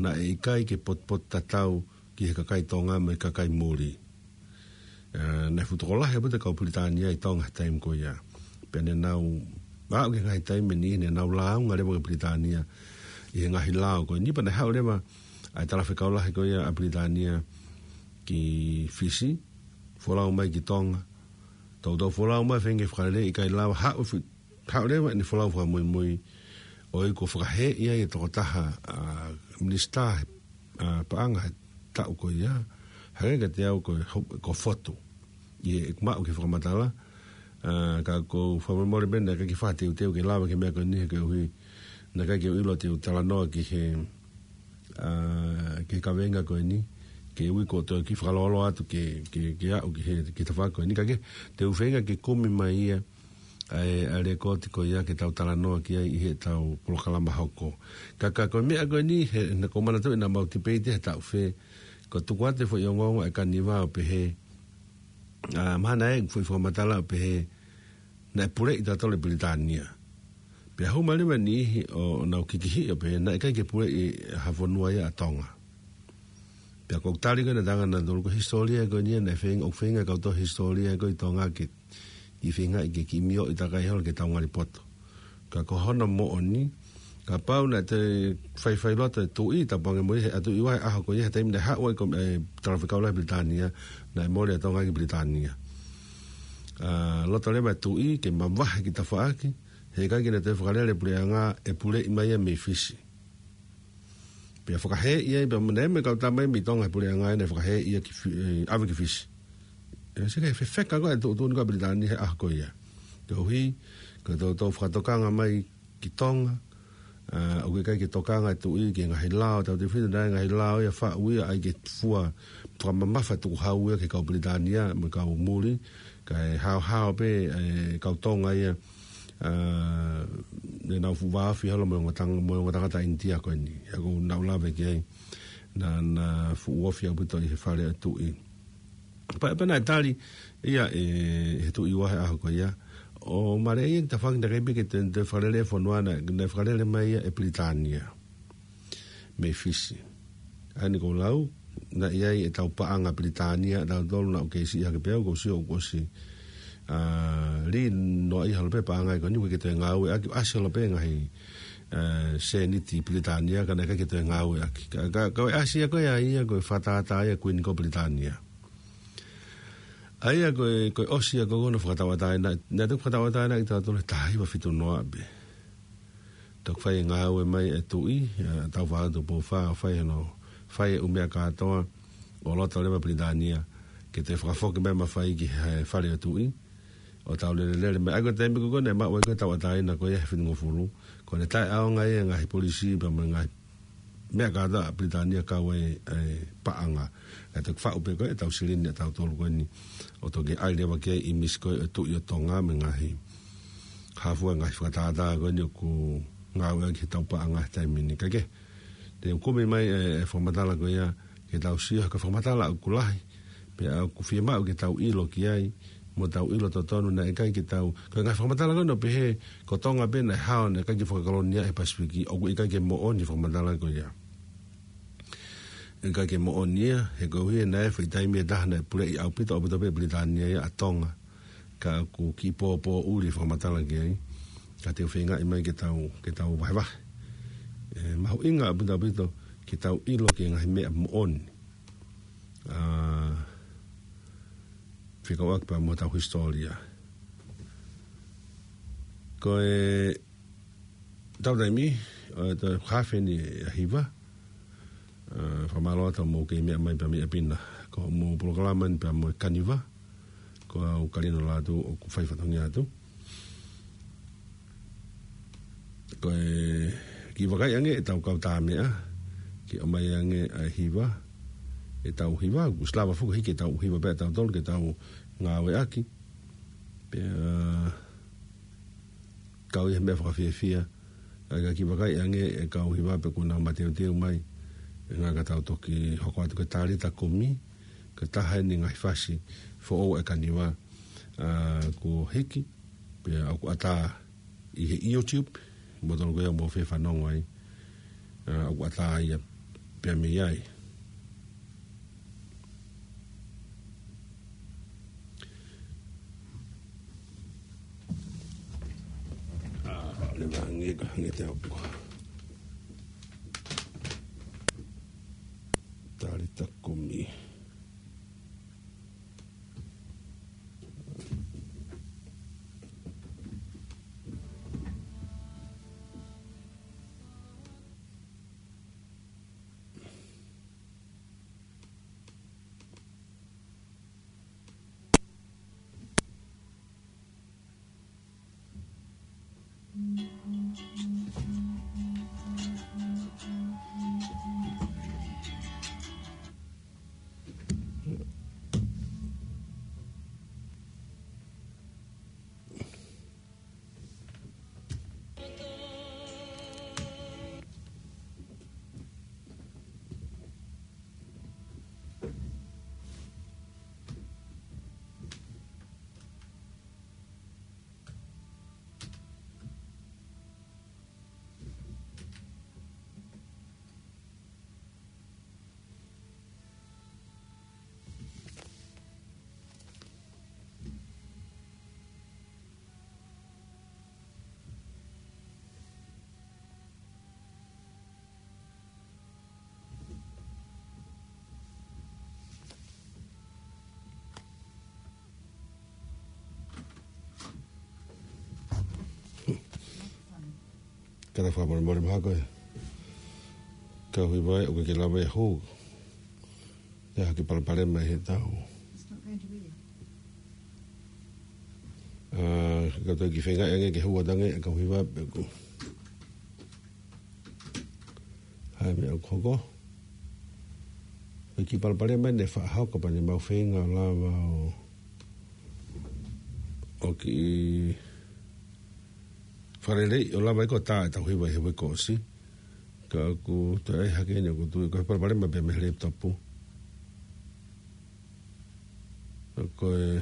naʻe ʻikai ke potupotutatau ki he kakai Tonga mo e kakai muli. ʻA, naʻe fuʻu tokolahi ʻaupito e kau Pilitānia ʻi Tonga he taimi ko ia. Pea naʻa nau, ʻa, ʻi he ngaahi taimi ni, naʻa nau lāunga leva ki Pilitānia ʻi he ngaahi lao ko eni pea naʻe haʻu leva ʻa e Talafekau Lahi ko ia ʻa Pilitānia ki Fisi, folau mai ki Tonga. Toutou folau mai, feinga ke fakalele, ʻikai lava, haʻu fi-, haʻu leva ʻene folau fakamuimui, ʻo ʻikai ko e fakahēʻi ai e tokotaha, ʻa, minisitā, ʻa, paʻanga he taʻu ko ia, hangē kiate au ko e ho-, ko Fotu. ʻI heʻeku maʻu ki he fakamatala, ʻa, ka ʻoku ou fakamolemole pē naʻe ʻikai ke fakateuteu ke lava ki he meʻa ko eni he koeʻuhi, naʻe ʻikai ke u ʻilo te u talanoa ki he, ʻa, ki he kaveinga ko eni, ke ui ko e toe kiʻi fakalōloa atu ke, ke, ke aʻu ki he, ki he tafaʻaki ko eni. Ka ke, te u feinga ke kumi mai ia, ʻa e, ʻa e lekooti ko ia ke tau talanoa ki ai ʻi heʻetau polokalama hoko. Ka, ka ko e meʻa ko eni, he, naʻa ku manatuʻi naʻa mau tipeiti he taʻu fē, ko e tuku atu e foʻi ongoongo ʻa e Kaniva ʻo pehē, ʻa, mahalo ʻe foʻi fakamatala ʻo pehē, naʻe puleʻi tautolu ʻe Pilitānia. Pea hū mai leva e niʻihi ʻo nau kikihiʻi ʻo pehē, naʻe ʻikai ke puleʻi ha fonua ia ʻa Tonga. Pea ko e tali ko ē naʻe tala ʻe nautolu ko e hisitōlia ko eni naʻe feinga, ʻoku feinga e kau tohi hisitōlia ko ē ʻi Tonga ke, ʻi he feinga ke kiʻi mioʻi takai holo ke tau ngali poto. Ka ko hono moʻoni, kapau naʻe toe faifai loto e tuʻi, tapu ange mo ia he ʻa e Tuʻi Ua he ʻaho ko ia he taimi naʻe haʻu ai ko e, ʻa e Talafekau Lahi Pilitānia, naʻe mole ʻa Tonga ki Pilitānia. ʻA, loto leva e tuʻi ke mavahe ki tafaʻaki, he ʻikai ke na toe fakalele e puleʻanga, ʻe puleʻi mai ia mei Fisi. Pea fakahēʻi ai, pea mo e, mo e kau tama mei Tonga he puleʻanga naʻe fakahēʻi ia ki Fi-, ʻe, ʻave ki Fisi. ʻE, sio ki he fefeka ko ē e tuʻutuʻuni ko ē ʻa Pilitānia he ʻaho ko ia. Koeʻuhi, ko e toutou fakatokanga mai ki Tonga, ʻa, ʻoku ʻikai ke tokanga e tuʻi ki he ngaahi lao, tautefito naʻe ngaahi lao ia faʻu ia ʻai ke fua, fakamamafa e tukuhau ia ki he kau Pilitānia, mo e kau muli, kae haohaoa pē, ʻa e kau Tonga ia, ʻa, naʻa nau fuʻu vāofi holo mo e ongo tang-, mo e ongo tangata ʻInitia ko eni. ʻA ia ʻoku ou lave ki ai, naʻa na fuʻu ofi ʻaupito ʻi he fale ʻo e tuʻi. Pea, pea naʻe tali ia ʻe, ʻe he Tuʻi Ua he ʻaho ko ia. ʻO mālie ia ki tafaʻaki naʻe ʻikai pē ke toe, toe fakalele e fonua naʻe, naʻe fakalele mai ia ʻe Pilitānia mei Fisi. ʻA eni ʻoku ou lau, naʻe ʻi ai ʻetau paʻanga Pilitānia, tautolu naʻa ku kei siʻi hake pē au, ʻoku ou sio ʻoku ʻosi, ʻa, lī noaʻia holo pē paʻanga ko eni, ʻoku ʻikai ke toe ngāueʻaki, ʻasi holo pē ngaahi, ʻa, sēniti Pilitānia, ka naʻe ʻikai ke toe ngāueʻaki. Ka, ka, ka ko e ʻasi ia ko ē ʻa ia, ko e fakatātā ia ʻa e Kuini ko Pilitānia. ʻA ia ko e, ko e ʻosi ia ko hono fakatauʻatāina, naʻe toki fakatauʻatāina kitautolu he taha hiva fitu noa pē. Toki fai e ngāue mai e tuʻi, ʻa, Tāufaʻāhau Tupou Fā, ʻo fai hono, fai e ʻū meʻa kātoa, ʻo loto leva Pilitānia ke toe fakafoki mai e mafai ki he fale ʻo e tuʻi, ʻo tau lelelele mai. ʻA ia ko e taimi ko ē naʻe maʻu ai ko ē e tauʻatāina ko ia he fitungofulu, ko ʻene taʻeʻaonga ia e ngaahi polisī pea mo e ngaahi meʻa kātoa ʻa Pilitānia kau ai e paʻanga. Kae toki faʻu pē ko ē ʻetau silini ʻatautolu ko eni, ʻo toki ʻai leva ki ai e ʻīmisi ko ē ʻo e Tuʻi ʻo Tonga mo e ngaahi, hā fua e ngaahi fakatātā ko eni ʻoku ngāueʻaki heʻetau paʻanga he taimi ni. Ka ke, te u kumi mai e, e fakamatala ko ia, ke tau sio, ko e fakamatala ʻoku lahi, pea ʻoku fiemaʻu ke tau ʻilo ki ai, mo tau ʻilo totonu naʻe ʻikai ke tau, ko e ngaahi fakamatala ko ē naʻe pehē, ko Tonga pē naʻe hao, naʻe ʻikai ke fakakolonia he Pasifiki, ʻoku ʻikai ke moʻoni e fakamatala ko ia. ʻIkai ke moʻoni ia, he ko e ʻuhi naʻe foʻi taimi ʻe taha naʻe puleʻi ʻaupito, ʻaupito pē Pilitānia ia ʻa Tonga. Ka ʻoku kiʻi pōpōʻuli fakamatala ki ai. Ka te u feingaʻi mai ke tau, ke tau vahevahe. ʻE, mahuʻinga ʻaupito, ʻaupito, ke tau ʻilo ki he ngaahi meʻa moʻoni. ʻA, fekauʻaki pea mo hotau hisitōlia. Ko e tau taimi, ʻe, tau hafe ni ʻa Hiva, ʻa, fakamālō atu mo kei meʻa mai pea mei ʻapi na. Ko hoʻomou polokalama ni pea mo e Kaniva, ko au Kalino Lātū ʻoku fai fatongia atu. Ko e kiʻi vakai ange ʻetau kau tā meʻa, ke ʻomai ange ʻa e hiva, ʻetau hiva, kuo ʻosi lava foki hiki ʻetau hiva pea ʻetau tolu ke tau ngāueʻaki. Pea, kau ʻi he meʻa fakafiefia, ʻa e kiʻi vakai ange e kau hiva pe kuo nau mateuteu mai, ʻe ngata ʻetau toki hoko atu ki he talita kumi, ko e taha eni e ngaahi fasi foʻou ʻa e Kaniva, ʻa, kuo hiki, pea ʻoku ʻatā ʻi he YouTube, mo tonu ko ia mou fie fanongo ai, ʻa, ʻoku ʻatā ia pea mei ai. ʻA, leva ange ka hangē te au. Talita kumi. Ka ta fakamolemole mahalo ko e kau hiva ʻoku ʻikai ke lava ia ʻo hū. Te u hiki palopalema ʻi heʻetau. ʻA, ka tau kiʻi feingaʻi ange ke hū atu ange e kau hiva pe ko e hā e meʻa ʻoku hoko. Ko e kiʻi palopalema eni ʻe faʻa hoko pea ne mau feinga ʻo lava ʻo, ʻo kiʻi fakalelei ʻo lava ʻo tā ʻetau hiva ʻi he uike kuo ʻosi. Ka ʻoku toe ʻai hake eni ʻoku tui ko e palopalema pē mei he laptop. Ko e,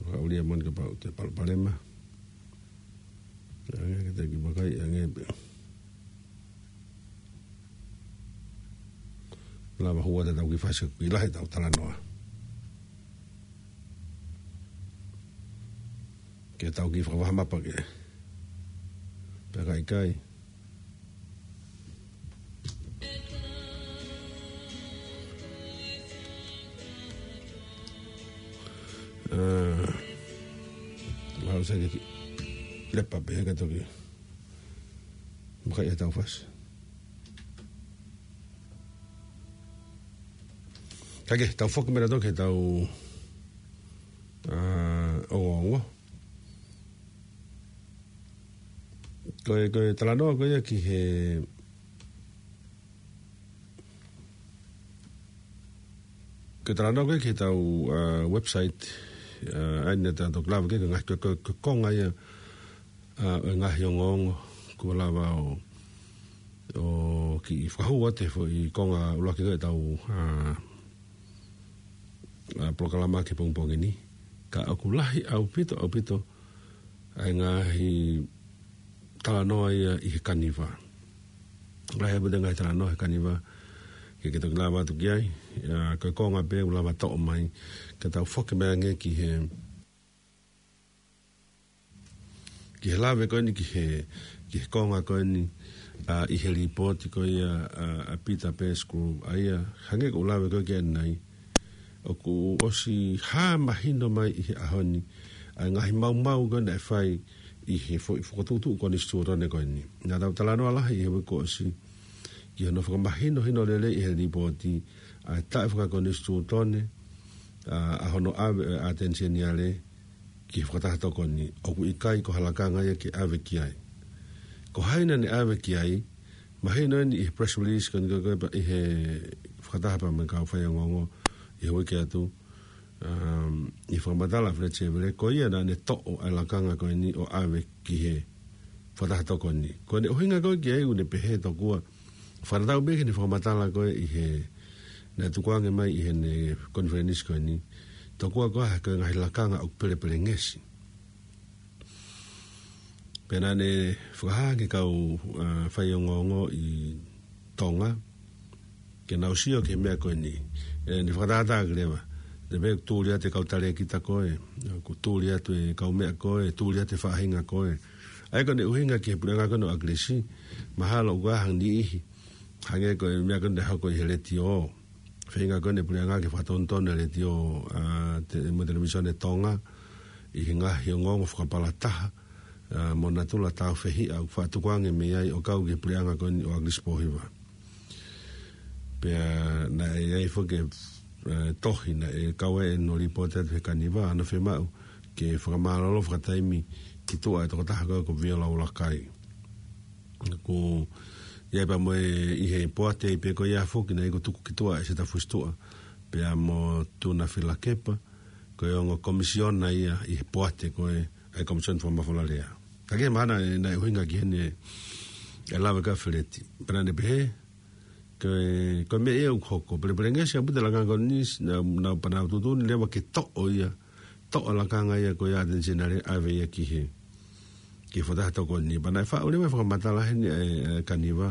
ʻoku ou ʻilo moʻoni kapau ʻoku toe palopalema. Ange ke ta kiʻi vakai ange pē. Lava hū atu ʻetau kiʻi fasi ʻoku kiʻi lahi ʻetau talanoa. Ke tau kiʻi fakavaha mapa ke. Pea ka ʻikai. ʻA, lau sa ke kiʻi lepa pē ka toki. Maka ia tau fasi. Ka ke, tau foki mei ai ʻo toki tau, ʻa, ongoongo. Ko e, ko e talanoa ko ia ki he, ko e talanoa ko ia ki heʻetau, ʻa, website, ʻa, ʻa ia naʻa tau toki lave ki ai, ko e ngaahi, ko e, ko e, ko e konga ia, ʻa, ʻo e ngaahi ongoongo, kuo lava ʻo, ʻo kiʻi fakahū atu he foʻi konga ʻuluaki ko ia ʻetau, ʻa, ʻa, polokalama ki he pongipongi ni. Ka ʻoku lahi ʻaupito, ʻaupito, ʻa e ngaahi talanoa ia ʻi he Kaniva. Lahi ʻaupito e ngaahi talanoa he Kaniva. ke ke toki lava atu ki ai. ʻA, ko e konga pē ʻoku lava toʻo mai, ka tau foki mai ange ki he, ki he lave ko eni, ki he, ki he konga ko eni, ʻa, ʻi he lipooti ko ia, ʻa, ʻa Peter Pettigrew, ʻa ia, hangē ko ʻeku lave ko ē ki ai ʻanenai, ʻoku ʻosi hā mahino mai ʻi he ʻaho ni ʻa e ngaahi maumau ko ē naʻe fai ʻi he foʻi fokotuʻutuʻu konisitūtone ko eni. Naʻa tau talanoa lahi ʻi he uike kuo ʻosi ki hono fakamahinohino lelei ʻi he lipooti ʻa e taʻefakakonisitūtone, ʻa, ʻa hono ʻave ʻa e ʻAteni Seniale ki he fakataha tokoni, ʻoku ʻikai ko ha lakanga ia ke ʻave ki ai. Ko hai naʻa ne ʻave ki ai? Mahino eni ʻi he press release ko eni ko ē pea ʻi he fakataha pea mo e kau faiongoongo ʻi he uike atu, um, ʻi he fakamatala ʻa Feleti Sevele, ko ia naʻa ne toʻo ʻa e lakanga ko eni ʻo ʻave ki he fakataha tokoni. Ko ʻene ʻuhinga ko ē ki ai ʻoku ne pehē tokua, fakatatau pē ki heʻene fakamatala ko ē ʻi he, naʻe tukuange mai ʻi heʻene konifelenisi ko eni, tokua ko ā ko e ngaahi lakanga ʻoku pelepelengesi. Pea naʻa ne fakahā ki he kau, ʻa, faiongoongo ʻi Tonga ke nau sio ki he meʻa ko eni. ʻE, ne fakatātā ki leva. Te pē tuli atu e kau talēkita ko ē, ʻoku tuli atu e kau meʻa ko ē, tuli atu e faʻahinga ko ē. ʻA ia ko ʻene ʻuhinga ki he puleʻanga ko eni ʻo ʻAkilisi, mahalo ʻoku ʻi ai ha niʻihi, hangē ko e meʻa ko eni naʻe hoko ʻi he letiō. Feinga ko eni e puleʻanga ke fakatonutonu e letiō, ʻa, te, mo e televīsone Tonga, ʻi he ngaahi ongoongo fakapalataha, ʻa, mo natula tāufehiʻa ʻoku faʻa tukuange mei ai ʻo kau ki he puleʻanga ko eni ʻo ʻAkilisi Pōhiva. Pea naʻe ʻi ai foki e, ʻa, tohi naʻe kau ai ʻene lipooti atu he Kaniva, ʻa hono fiemaʻu ke fakamālōlō fakataimi ki tuʻa e tokotaha ko ē ko Viola ʻUluakai. Ko ia pea mo e ʻi he poate pē ko ia foki naʻe ʻi ai ko Tuku ki Tuʻa ʻa Seta Fusituʻa, pea mo Tuna Filakepa, ko e ongo komisiona ia ʻi he poate ko ē ʻa e Komisiona Fakamafola Lea. Ka ke mana e naʻe ʻuhinga ki heʻene, e lave ko ē ʻa Feleti. Pea naʻa ne pehē, ko e, ko e meʻa ia ʻoku hoko. Pelepelengesi ʻaupito e lakanga ko eni, naʻa, naʻa pea nau tuʻutuʻuni leva ke toʻo ia, toʻo e lakanga ia ko ia ʻa e ʻAteni Seniale ʻave ia ki he, ki he fakataha tokoni. Pea naʻe faʻu leva e fakamatala heni ʻa e, ʻa e Kaniva.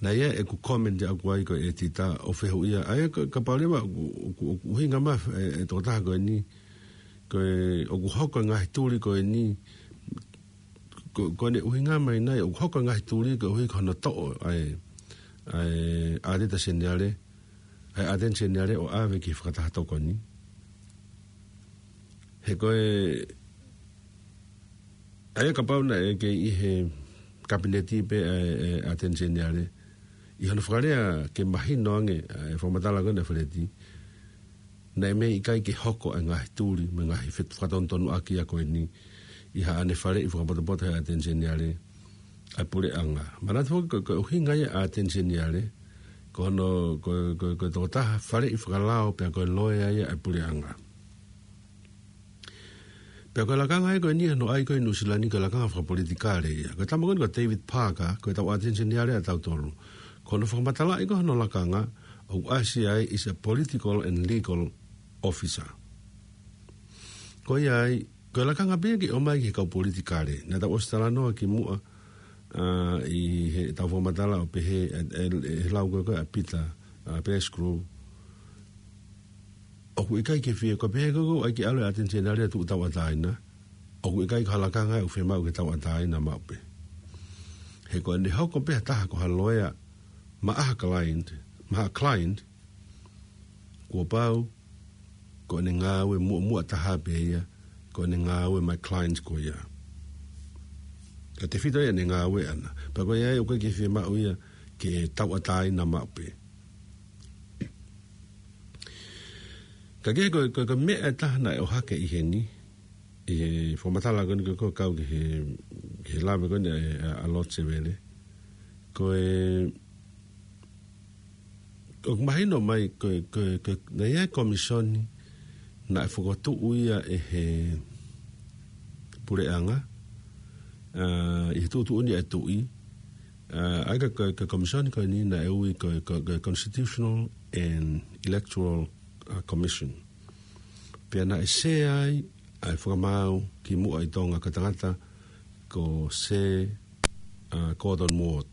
Naʻe ʻi ai ʻeku comment ʻaʻaku ai ko e ʻētita ʻo fehuʻia. ʻA ia ka, kapau leva ʻoku, ʻoku, ʻoku ʻuhinga mai e, e tokotaha ko eni, ko e, ʻoku hoko e ngaahi tuli ko eni, ko, ko ʻene ʻuhinga mai nai ʻoku hoko e ngaahi tuli koeʻuhi ko hono toʻo ʻa e, ʻa e ʻAteni Seniale, ʻa e ʻAteni Seniale ʻo ʻave ki he fakataha tokoni. He ko e, ʻa ia kapau naʻe kei ʻi he kapineti pē ʻa e, e ʻAteni Seniale, ʻi hono fakalea ke mahino ange ʻa e fakamatala ko ena ʻa Feleti, naʻe mei ʻikai ke hoko e ngaahi tuli mo e ngaahi fetu-, fakatonutonu ʻaki ia ko eni ʻi haʻane faleʻi fakapotopoto he ʻAteni Seniale ʻa e puleʻanga. Manatu foki ko, ko e ʻuhinga ia ʻa e ʻAteni Seniale, ko hono, ko, ko, ko e tokotaha faleʻi fakalao pea ko e loea ia ʻa e puleʻanga. Pea ko e lakanga ia ko eni ʻa hono ʻai ko ē ʻi Nuʻusila ni ko e lakanga fakapolitikale ia. Ko e tama ko eni ko David Parker, ko e tau ʻAteni Seniale ʻa tautolu. Ko hono fakamatalaʻi ko ē hono lakanga, ʻoku ʻasi ai is a political and legal officer. Ko ia ai, ko e lakanga pē ia ke ʻomai ki he kau politikale. Naʻa tau ʻosi talanoa ki muʻa, ʻa, ʻi heʻetau fakamatala ʻo pehē, e, e, e lau ko ē ko ē ʻa Peter, ʻa, Pettigrew. ʻOku ʻikai ke fie, ko e pehē ko ē ʻoku ʻai ke ʻalu e ʻAteni Seniale ʻo tuʻu tauʻatāina. ʻOku ʻikai ko ha lakanga ia ʻoku fiemaʻu ke tauʻatāina maʻu pē. He ko ʻene hoko pē ha taha ko ha loea maʻa ha client, maʻa ha client, kuo pau, ko ʻene ngāue muʻomuʻa taha pē ia, ko ʻene ngāue maʻa e client ko ia. Ka tefito ia ʻene ngāue ʻana. Pea ko ia ai ʻoku ʻikai ke fiemaʻu ia ke tauʻatāina maʻu pē. Ka ke ko, ko, ko e meʻa ʻe taha naʻe ʻohake ʻi heni, ʻi he fakamatala ko eni ko ē ʻoku kau ki he, ki he lave ko eni ʻa, ʻa, ʻa Lord Sevele. Ko e, ʻoku mahino mai ko, ko, ko, naʻe ʻi ai e komisoni naʻe fokotuʻu ia ʻe he puleʻanga, ʻa, ʻi he tuʻutuʻuni ʻa e tuʻi, ʻa, ʻa ia ko, ko, ko e komisoni ko eni naʻe ui ko, ko, ko e Constitutional and Electoral, ʻa, Commission. Pea naʻe sea ai ʻa e fakamaau ki muʻa ʻi Tonga ko e tangata ko Sir, ʻa, Gordon Ward.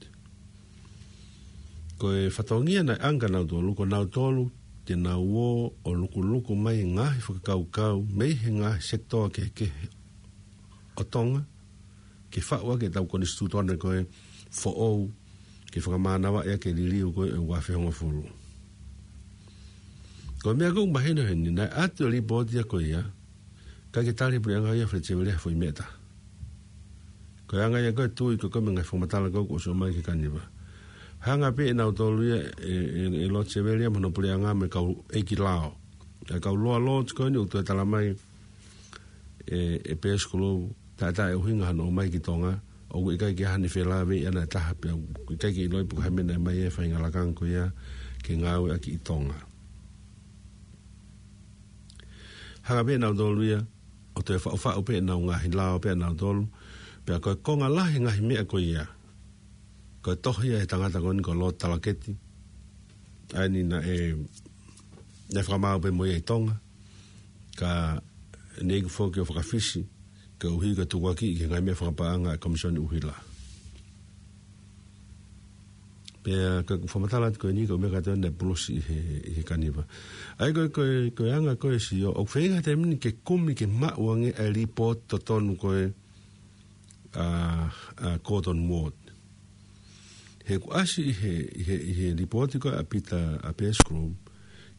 Ko e fatongia naʻe ʻange kia nautolu, ko nautolu te nau ō ʻo lukuluku mai e ngaahi fakakaukau mei he ngaahi sekitoa kehekehe ʻo Tonga, ke faʻu ʻaki ʻetau konisitūtone ko ē foʻou, ke fakamānavaʻi ʻaki e liliu ko ē ʻo e ua afe hongofulu. Ko e meʻa ʻoku mahino heni, naʻe ʻatu e lipooti ia ko ia, kae ʻikai ke tali ʻe he puleʻanga ia Fale Siavelea ha foʻi meʻa ʻe taha. Ko e anga ia ko ē e tui ko ē mo e ngaahi fakamatala ko ē kuo ʻosi ʻomai ki he Kaniva. Hanga pē ʻe nautolu ia ʻe, ʻe, ʻe Lord Siavelea mo hono puleʻanga mo e kau ʻeiki lao. ʻA e kau Lower Lords ko eni ʻoku toe tala mai ʻe, ʻe Pēsi Kulupu, taʻe, taʻe ʻuhinga hono ʻomai ki Tonga, ʻoku ʻikai ke ʻi ai haʻane felāveʻi ʻana ʻe taha pea ʻoku ʻikai ke ʻiloʻi pe ko e hā e meʻa naʻe ʻomai ai e faʻahinga lakanga ko ia ke ngāueʻaki ʻi Tonga. Hanga pē ʻe nautolu ia ʻo toe faʻufaʻu pē ʻenau ngaahi lao pē ʻa nautolu, pea ko e konga lahi e ngaahi meʻa ko ia, ko e tohi ia ʻa e tangata ko eni ko Lord Talaketi, ʻa eni naʻe, naʻe fakamaau pē mo ia ʻi Tonga, ka ne iku foki ʻo fakafisi, koeʻuhi ko e tukuakiʻi ki he ngaahi meʻa fakapaʻanga ʻa e Komisoni ʻUhila. Pea ko ʻeku fakamatala atu ko eni ko e meʻa kātoa naʻe pulusi ʻi he, ʻi he Kaniva. ʻA ia ko e, ko e, ko e anga ko ē Sio, ʻoku feinga he taimi ni ke kumi ke maʻu ange ʻa e lipooti totonu ko ē ʻa, ʻa Gordon Ward. He kuo ʻasi ʻi he, ʻi he, ʻi he lipooti ko ē ʻa Pita, ʻa Pēsi Kulupu,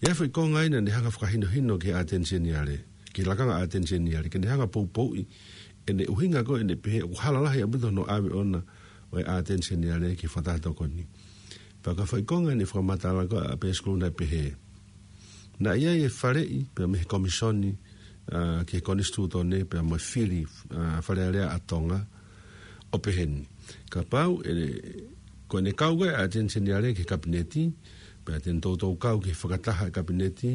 ʻi ai e foʻi konga ʻi ai naʻa ne hanga ʻo fakahinohino ki he ʻAteni Seniale, ki he lakanga ʻAteni Seniale, ke ne hanga ʻo poupouʻi ʻene ʻuhinga ko ē ʻene pehē ʻoku hala lahi ʻaupito hono ʻave ʻona ʻo e ʻAteni Seniale ki he fakataha tokoni. Pea ko e foʻi konga ʻi heʻene fakamatala ko ē ʻa Pēsi Kulupu naʻe pehē, naʻe ʻi ai e faleʻi pea mei he Komisoni, ʻa, ki he Konisitūtone pea mo e fili, ʻa, Fale Alea ʻa Tonga, ʻo pehē ni: Kapau ʻe, ko ʻene kau ko ē ʻa e ʻAteni Seniale ki he Kapineti, pea te ne toutou kau ki he fakataha ʻa e Kapineti,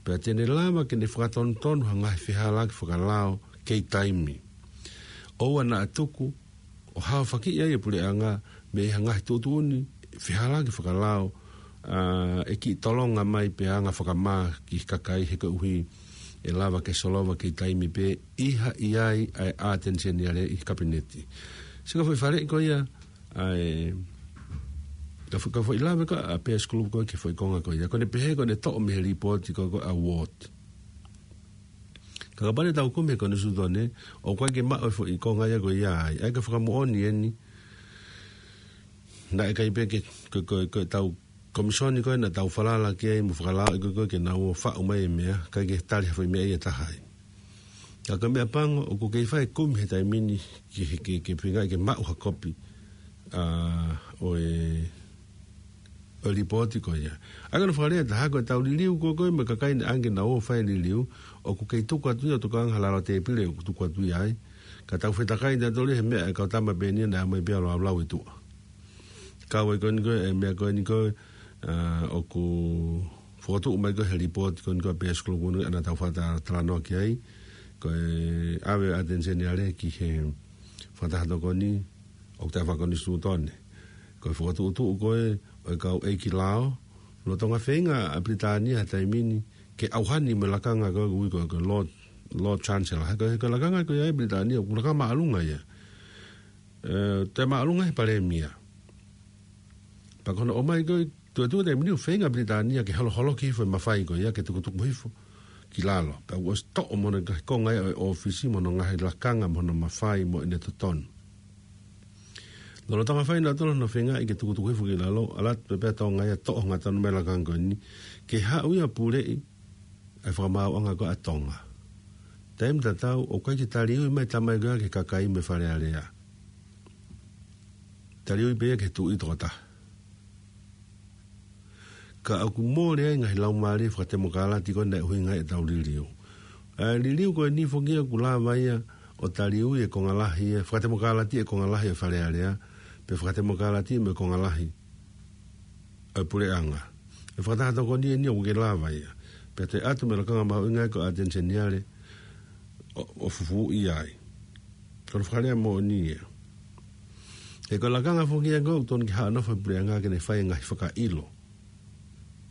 pea te ne lava ke ne fakatonutonu ha ngaahi fehālaaki fakalao kei taimi. ʻOua naʻa tuku ʻo haofakiʻi ai e puleʻanga mei ha ngaahi tuʻutuʻuni fehālaaki fakalao, ʻa, ʻe kiʻi tolonga mai pea anga fakamā ki he kakai he koeʻuhi ʻe lava ke solova kei taimi pē ʻi ha ʻi ai ʻa e ʻAteni Seniale ʻi he Kapineti. Sio ki he foʻi faleʻi ko ia, ʻa e, ka fo-, ka foʻi lave ko ē ʻa Pēsi Kulupu ko ē ki he foʻi konga ko ia. Ko ʻene pehē ko ʻene toʻo mei he lipooti ko ē ʻa Ward. Ka kapau te tau kumi e Konisitūtone, ʻoku ʻikai ke maʻu e foʻi konga ia ko ia ai. ʻA ia ko e fakamoʻoni eni, naʻe ʻikai pē ke, ko, ko, ko ʻetau Komisoni ko ē naʻa tau falala ki ai mo fakalaoʻi ko ē ke nau ō ʻo faʻu mai e meʻa, ʻikai ke tali ha foʻi meʻa ia ʻe taha ai. Ka ko e meʻa pango, ʻoku kei fai e kumi he taimi ni ke, ke, ke feingaʻi ke maʻu ha kopi, ʻa, ʻo e, ʻo e lipooti ko ia. ʻA ia ko hono fakalea ʻe taha, ko ʻetau liliu ko ē, ko ē mo e kakai naʻe ʻange ke nau ō ʻo fai e liliu, ʻoku kei tuku atu ia ʻo tokanga ha lalo tēpile ʻoku tuku atu ia ai. Ka tau fetakai tautolu he meʻa ʻa e kau tama pē eni naʻe ʻomai pē ʻo laulau ʻi tuʻa. Kau ai ko eni ko ē, e meʻa ko eni ko ē, ʻa, ʻoku fokotuʻu mai ko ē he lipooti ko eni ko ē ʻa Pēsi Kulupu naʻa tau fakata-, talanoa ki ai, ko e ʻave ʻa e ʻAteni Seniale ki he fakataha tokoni ʻoku taʻe fakakonisitūtone. Ko e fokotuʻutuʻu ko ē ʻo e kau ʻeiki lao, lolotonga feinga ʻa Pilitānia he taimi ni ke ʻauhani mo e lakanga ko ē ʻoku ui ko e, ko e Lord, Lord Chancellor. He ko e, he ko e lakanga ko ia ʻa Pilitānia, ʻoku lakanga māʻolunga ia. ʻE, toe māʻolunga he palēmia. Pea ko hono ʻomai ko ē, tuʻetuʻu he taimi ni ʻoku feinga ʻa Pilitānia ke holoholoki hifo e mafai ko ia, ke tukutuku hifo ki lalo. Pea ʻoku ʻosi toʻo mo hono ngaahi konga ia ʻo e ʻōfisi mo hono ngaahi lakanga mo hono mafai mo ʻene totonu. Lolotonga fai nautolu hono feingaʻi ke tukutuku hifo ki lalo, ʻalu atu pē pea Tonga ia ʻo toʻo hangatonu mai e lakanga ko eni, ke haʻu ia ʻo puleʻi ʻa e fakamaauʻanga ko ē ʻa Tonga. Taimi tatau, ʻoku ʻikai ke taliui mai e tama ia ko ia ki he kakai mo e Fale Alea. Taliui pē ia ki he tuʻi tokotaha. Ka ʻoku mole ai e ngaahi laumālie fakatemokalati ko ē naʻe ʻuhinga ai ʻetau liliu. ʻA e liliu ko eni foki ia ʻoku lava ia ʻo taliui e konga lahi ia, fakatemokalati e konga lahi ʻo e Fale Alea, pe fakatemokalati mo e konga lahi ʻo e puleʻanga. E fakataha tokoni eni ʻoku kei lava ia. Pea toe ʻatu mo e lakanga mahuʻinga ko e ʻAteni Seniale ʻo, ʻo fufuuʻi ai. Ko hono fakalea moʻoni ia. He ko e lakanga foki ia ko ē ʻoku totonu ke haʻu ʻo nofo he puleʻanga ke ne fai e ngaahi fakaʻilo.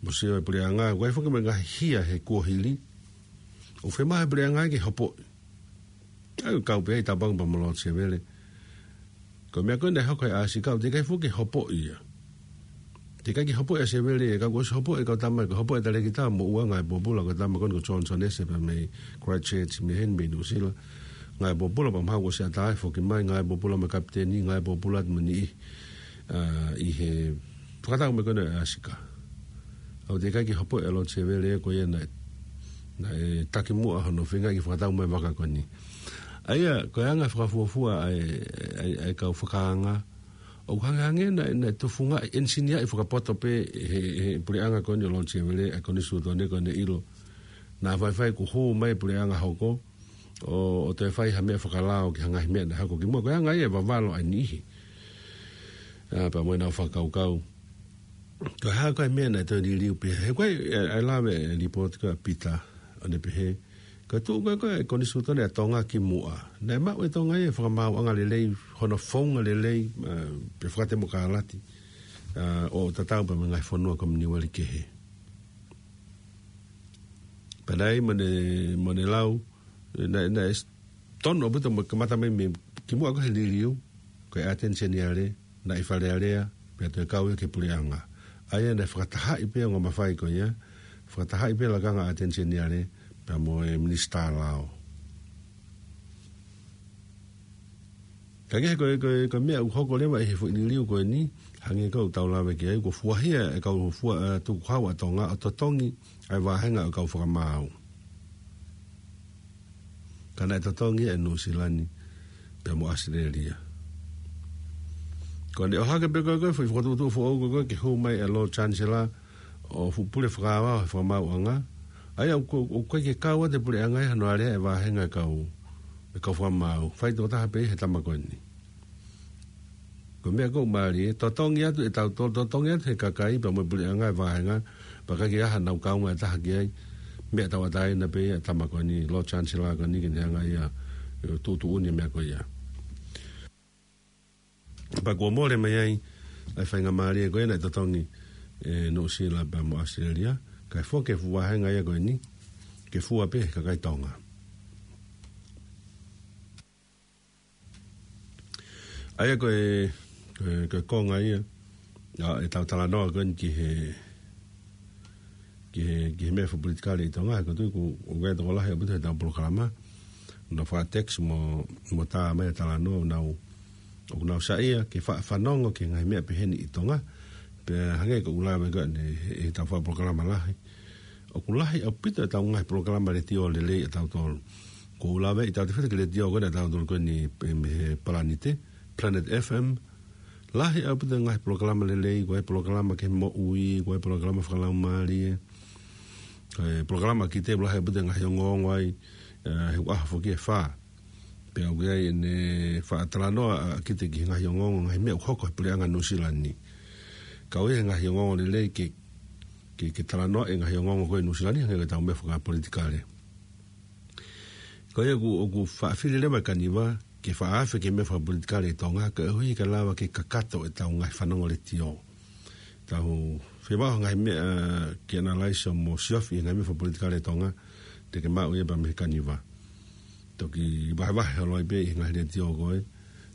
Mo sio e puleʻanga, ʻoku ʻi ai foki mo e ngaahi hia he kuohili ʻoku fiemaʻu he puleʻanga ke hopoʻi. ʻA ia ʻoku kau pē ai Tāpango pea mo Lord Sevele. Ko e meʻa ko ē naʻe hoko he ʻAsi Kau, teʻeki ai foki ke hopoʻi ia. Teʻeki ai ke hopoʻi ʻa Sevele, ka kuo ʻosi hopoʻi e kau tama, ko e hopoʻi ʻa Talekita mo ʻUa, ngaahi pōpula, ko e tama ko eni ko Johnson Ese pea mei Christchurch, mei heni mei Nuʻusila. Ngaahi pōpula pea mahalo kuo ʻosi ʻatā e foki mai, ngaahi pōpula mo e kapiteni, ngaahi pōpula mo e niʻihi, ʻa, ʻi he fakatau mai ko eni ʻa Sika. ʻOku teʻeki ai ke hopoʻi ʻa Lord Sevele ko ia naʻe, naʻe taki muʻa hono feingaʻi ke fakatau mai e vaka ko eni. ʻA ia, ko e anga e fakafuofua ʻa e, ʻa e, ʻa e kau fakaanga, ʻoku hangehangē naʻe, naʻe tufungaʻi, ʻenisiniaʻi fakapoto pē he, he puleʻanga ko eni ʻo Lord Sevele, ʻa e konisitūtone ko eni ʻilo. Naʻa faifai kuo hū mai e puleʻanga hoko, ʻo, ʻo toe fai ha meʻa fakalao ki he ngaahi meʻa naʻe hoko kimuʻa, ko e anga ia e vavalo ʻa e niʻihi. ʻA, pea mo ʻenau fakakaukau. Ko e hā ko e meʻa naʻe toe liliu pē. He ko e, ʻa e, ʻa e lave e lipooti ko ia ʻa Pita, ʻo ne pehē, ko e tuʻu ko ē ko ē e konisitūtone ʻa Tonga kimuʻa, naʻe maʻu ʻe Tonga ia e fakamaauʻanga lelei, hono founga lelei, ʻa, pea fakatemokalati, ʻa, ʻo tatau pea mo e ngaahi fonua Kominiueli kehe. Pea naʻe ʻi ai mo ʻene, mo ʻene lau, naʻe, naʻe s-, tonu ʻaupito mo e kamata mai mei kimuʻa ko ē he liliu, ko e ʻAteni Seniale, naʻe ʻi Fale Alea, pea toe kau ia ki he puleʻanga. ʻA ia naʻe fakatahaʻi pē e ongo mafai ko ia, fakatahaʻi pē e lakanga ʻAteni Seniale, pea mo e minisitā lao. Ka kehe ko e, ko e, ko e meʻa ʻoku hoko leva ʻi he foʻi liliu ko eni, hangē ko ʻetau lave ki ai, kuo fuahia e kau fua, ʻa, tukuhau ʻa Tonga ʻo totongi ʻa e vāhenga ʻo e kau fakamaau. Ka naʻe totongi ʻe Nuʻusila ni pea mo ʻAositelēlia. Ko ʻene ʻohake pē ko ē ko e foʻi fokotuʻutuʻu foʻou ko ē ko ē ke hū mai e Lord Chancellor ʻo fuʻu pule fakaavao he fakamaauʻanga. ʻA ia ʻoku, ʻoku ʻikai ke kau atu e puleʻanga ia hono alea e vāhenga e kau, e kau fakamaau. Faitokotaha pē ia he tama ko eni. Ko e meʻa ʻoku mālie, totongi atu ʻe tautolu, totongi atu he kakai pea mo e puleʻanga e vāhenga, pea ʻikai ke ʻi ai haʻanau kaunga ʻe taha ki ai, meʻa tauʻatāina pē ia e tama ko eni, Lord Chancellor ko eni ke ne hanga ia ʻo tuʻutuʻuni e meʻa ko ia. Pea kuo mole mai ai ʻa e faingamālie ko ia naʻe totongi ʻe Nuʻusila pea mo ʻAositelēlia, kae foki e fuʻu vāhenga ia ko eni, ke fua pē he kakai Tonga. ʻA ia ko e, ko e, ko e konga ia, ʻa, ʻetau talanoa ko eni ki he, ki he, ki he meʻa fakapolitikale ʻi Tonga, he ʻoku ou tui ʻoku, ʻoku ʻi ai e tokolahi ʻaupito heʻetau polokalama, ʻoku nau fakatext mo, mo tā mai e talanoa, ʻoku nau, ʻoku nau saiʻia ke fa-, fanongo ki he ngaahi meʻa peheni ʻi Tonga, pea hangē ko ʻeku lave ko eni he, heʻetau fakapolokalama lahi. ʻOku lahi ʻaupito ʻetau ngaahi polokalama letiō lelei ʻatautolu. ʻOku ou lave ʻi tautefito ki he letiō ko eni ʻatautolu ko eni pē mei he Palanite, Planet F M. Lahi ʻaupito e ngaahi polokalama lelei, ko e polokalama ki he moʻui, ko e polokalama fakalaumālie, ko e polokalama ʻa Kite, lahi ʻaupito e ngaahi ongoongo ai, ʻa, he ʻaho foki ʻe fā. Pea ʻoku ʻi ai ʻene faʻa talanoa ʻa Kite ki he ngaahi ongoongo, ngaahi meʻa ʻoku hoko he puleʻanga Nuʻusila ni. Ka ʻoku ʻi ai e ngaahi ongoongo lelei ke, ke, ke talanoa e ngaahi ongoongo ko ē Nuʻusila ni, hangē ko ʻetau meʻa fakapolitikale. Ko ia ʻoku, ʻoku faʻa fili leva e kaniva, ke faʻa afe ki he meʻa fakapolitikale ʻi Tonga, kae ʻuhi ke lava ke kakato ʻetau ngaahi fanongo letiō. Tau fie maʻu ha ngaahi meʻa ke analyze mo siofi e ngaahi meʻa fakapolitikale ʻi Tonga, te ke maʻu ia pē mei he kaniva. Toki vahevahe holo ai pē ʻi he ngaahi letiō ko ē.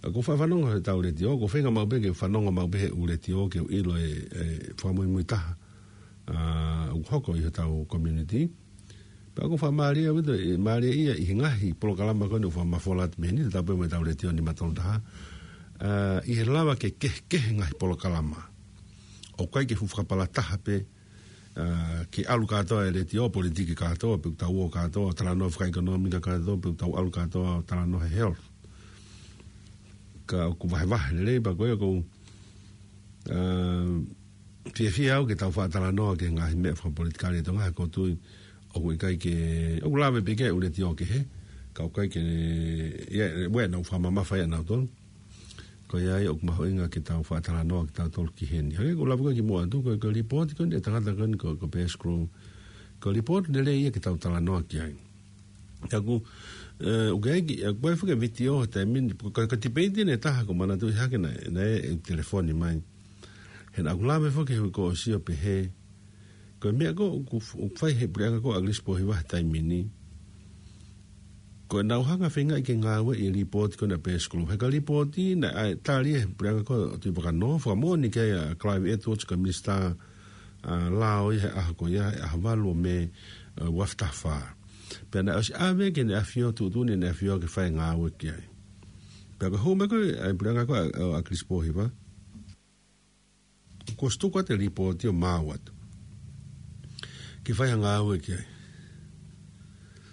ʻOku ou faʻa fanongo heʻetau letiō, ʻoku ou feinga maʻu pē ke fanongo maʻu pē he ʻū letiō ke u ʻilo e, e fakamuimui taha, ʻa, ʻoku hoko ʻi hotau community. Pea ʻoku ou faʻa mālieʻia ʻaupito, ʻe mālieʻia ʻi he ngaahi polokalama ko eni ʻoku faʻa mafola atu mei heni, tatau pē mo ʻetau letiō nima tolu taha. ʻA, ʻi he lava ke kehekehe ngaahi polokalama. ʻOku ʻikai ke fuʻu fakapalataha pē, ʻa, ke ʻalu kātoa e letiō, politiki kātoa, pe ʻoku tau ō kātoa, talanoa fakaʻekonōmika kātoa, pe ʻoku tau ʻalu kātoa, talanoa he health. Ka ʻoku vahevahe lelei pē ko ia ʻoku ou, ʻa, fiefia au ke tau faʻa talanoa ki he ngaahi meʻa fakapolitikale ʻi Tonga, he ʻoku ou tui ʻoku ʻikai ke, ʻoku lave pē ki ai e ʻū letiō kehe, ka ʻoku ʻikai ke, ia, ʻe, ʻoua naʻa fakamamafa ia ʻanautolu. Ko ia ai ʻoku mahuʻinga ke tau faʻa talanoa kitautolu ki heni. Hangē ko e lave ko ē kimuʻa atu, ko e, ko e lipooti ko eni ʻa e tangata ko eni ko, ko Bear Screw. Ko e lipooti lelei ia ke tau talanoa ki ai. Ka ʻoku, ʻe, ʻoku ʻi ai ki, ʻoku ʻi ai foki e vitiō he taimi ni, ko, ko, ko e tipeiti ʻe taha ʻoku ou manatuʻi hake naʻe, naʻe telefoni mai. He naʻá ku lave foki he uike kuo ʻosi ʻo pehē, ko e meʻa ko ē ʻoku, ʻoku fai he puleʻanga ko ē ʻa ʻAgilisi Pōhiva he taimi ni. ko ʻenau hanga feingaʻi ke ngāueʻi e lipooti ko ena Best Group. He ko e lipooti naʻe tali ʻe he puleʻanga ko ē ʻo Tuʻi Vakanō, fakamoʻoni ki ai ʻa Clive Edwards ko e minisitā ʻa lao ʻi he ʻaho ko ia, he ʻaho valu ʻo Mē, ʻa, ua afe taha fā. Pea naʻe ʻosi ʻave ki heʻene ʻafio, tuʻutuʻuni ʻene ʻafio ke fai e ngāue ki ai. Pea ko e hū mai ko ē ʻa e puleʻanga ko ē ʻa, ʻa, ʻa Kilisi Pōhiva, kuo ʻosi tuku atu e lipooti ʻo maau atu ke fai ha ngāue ki ai.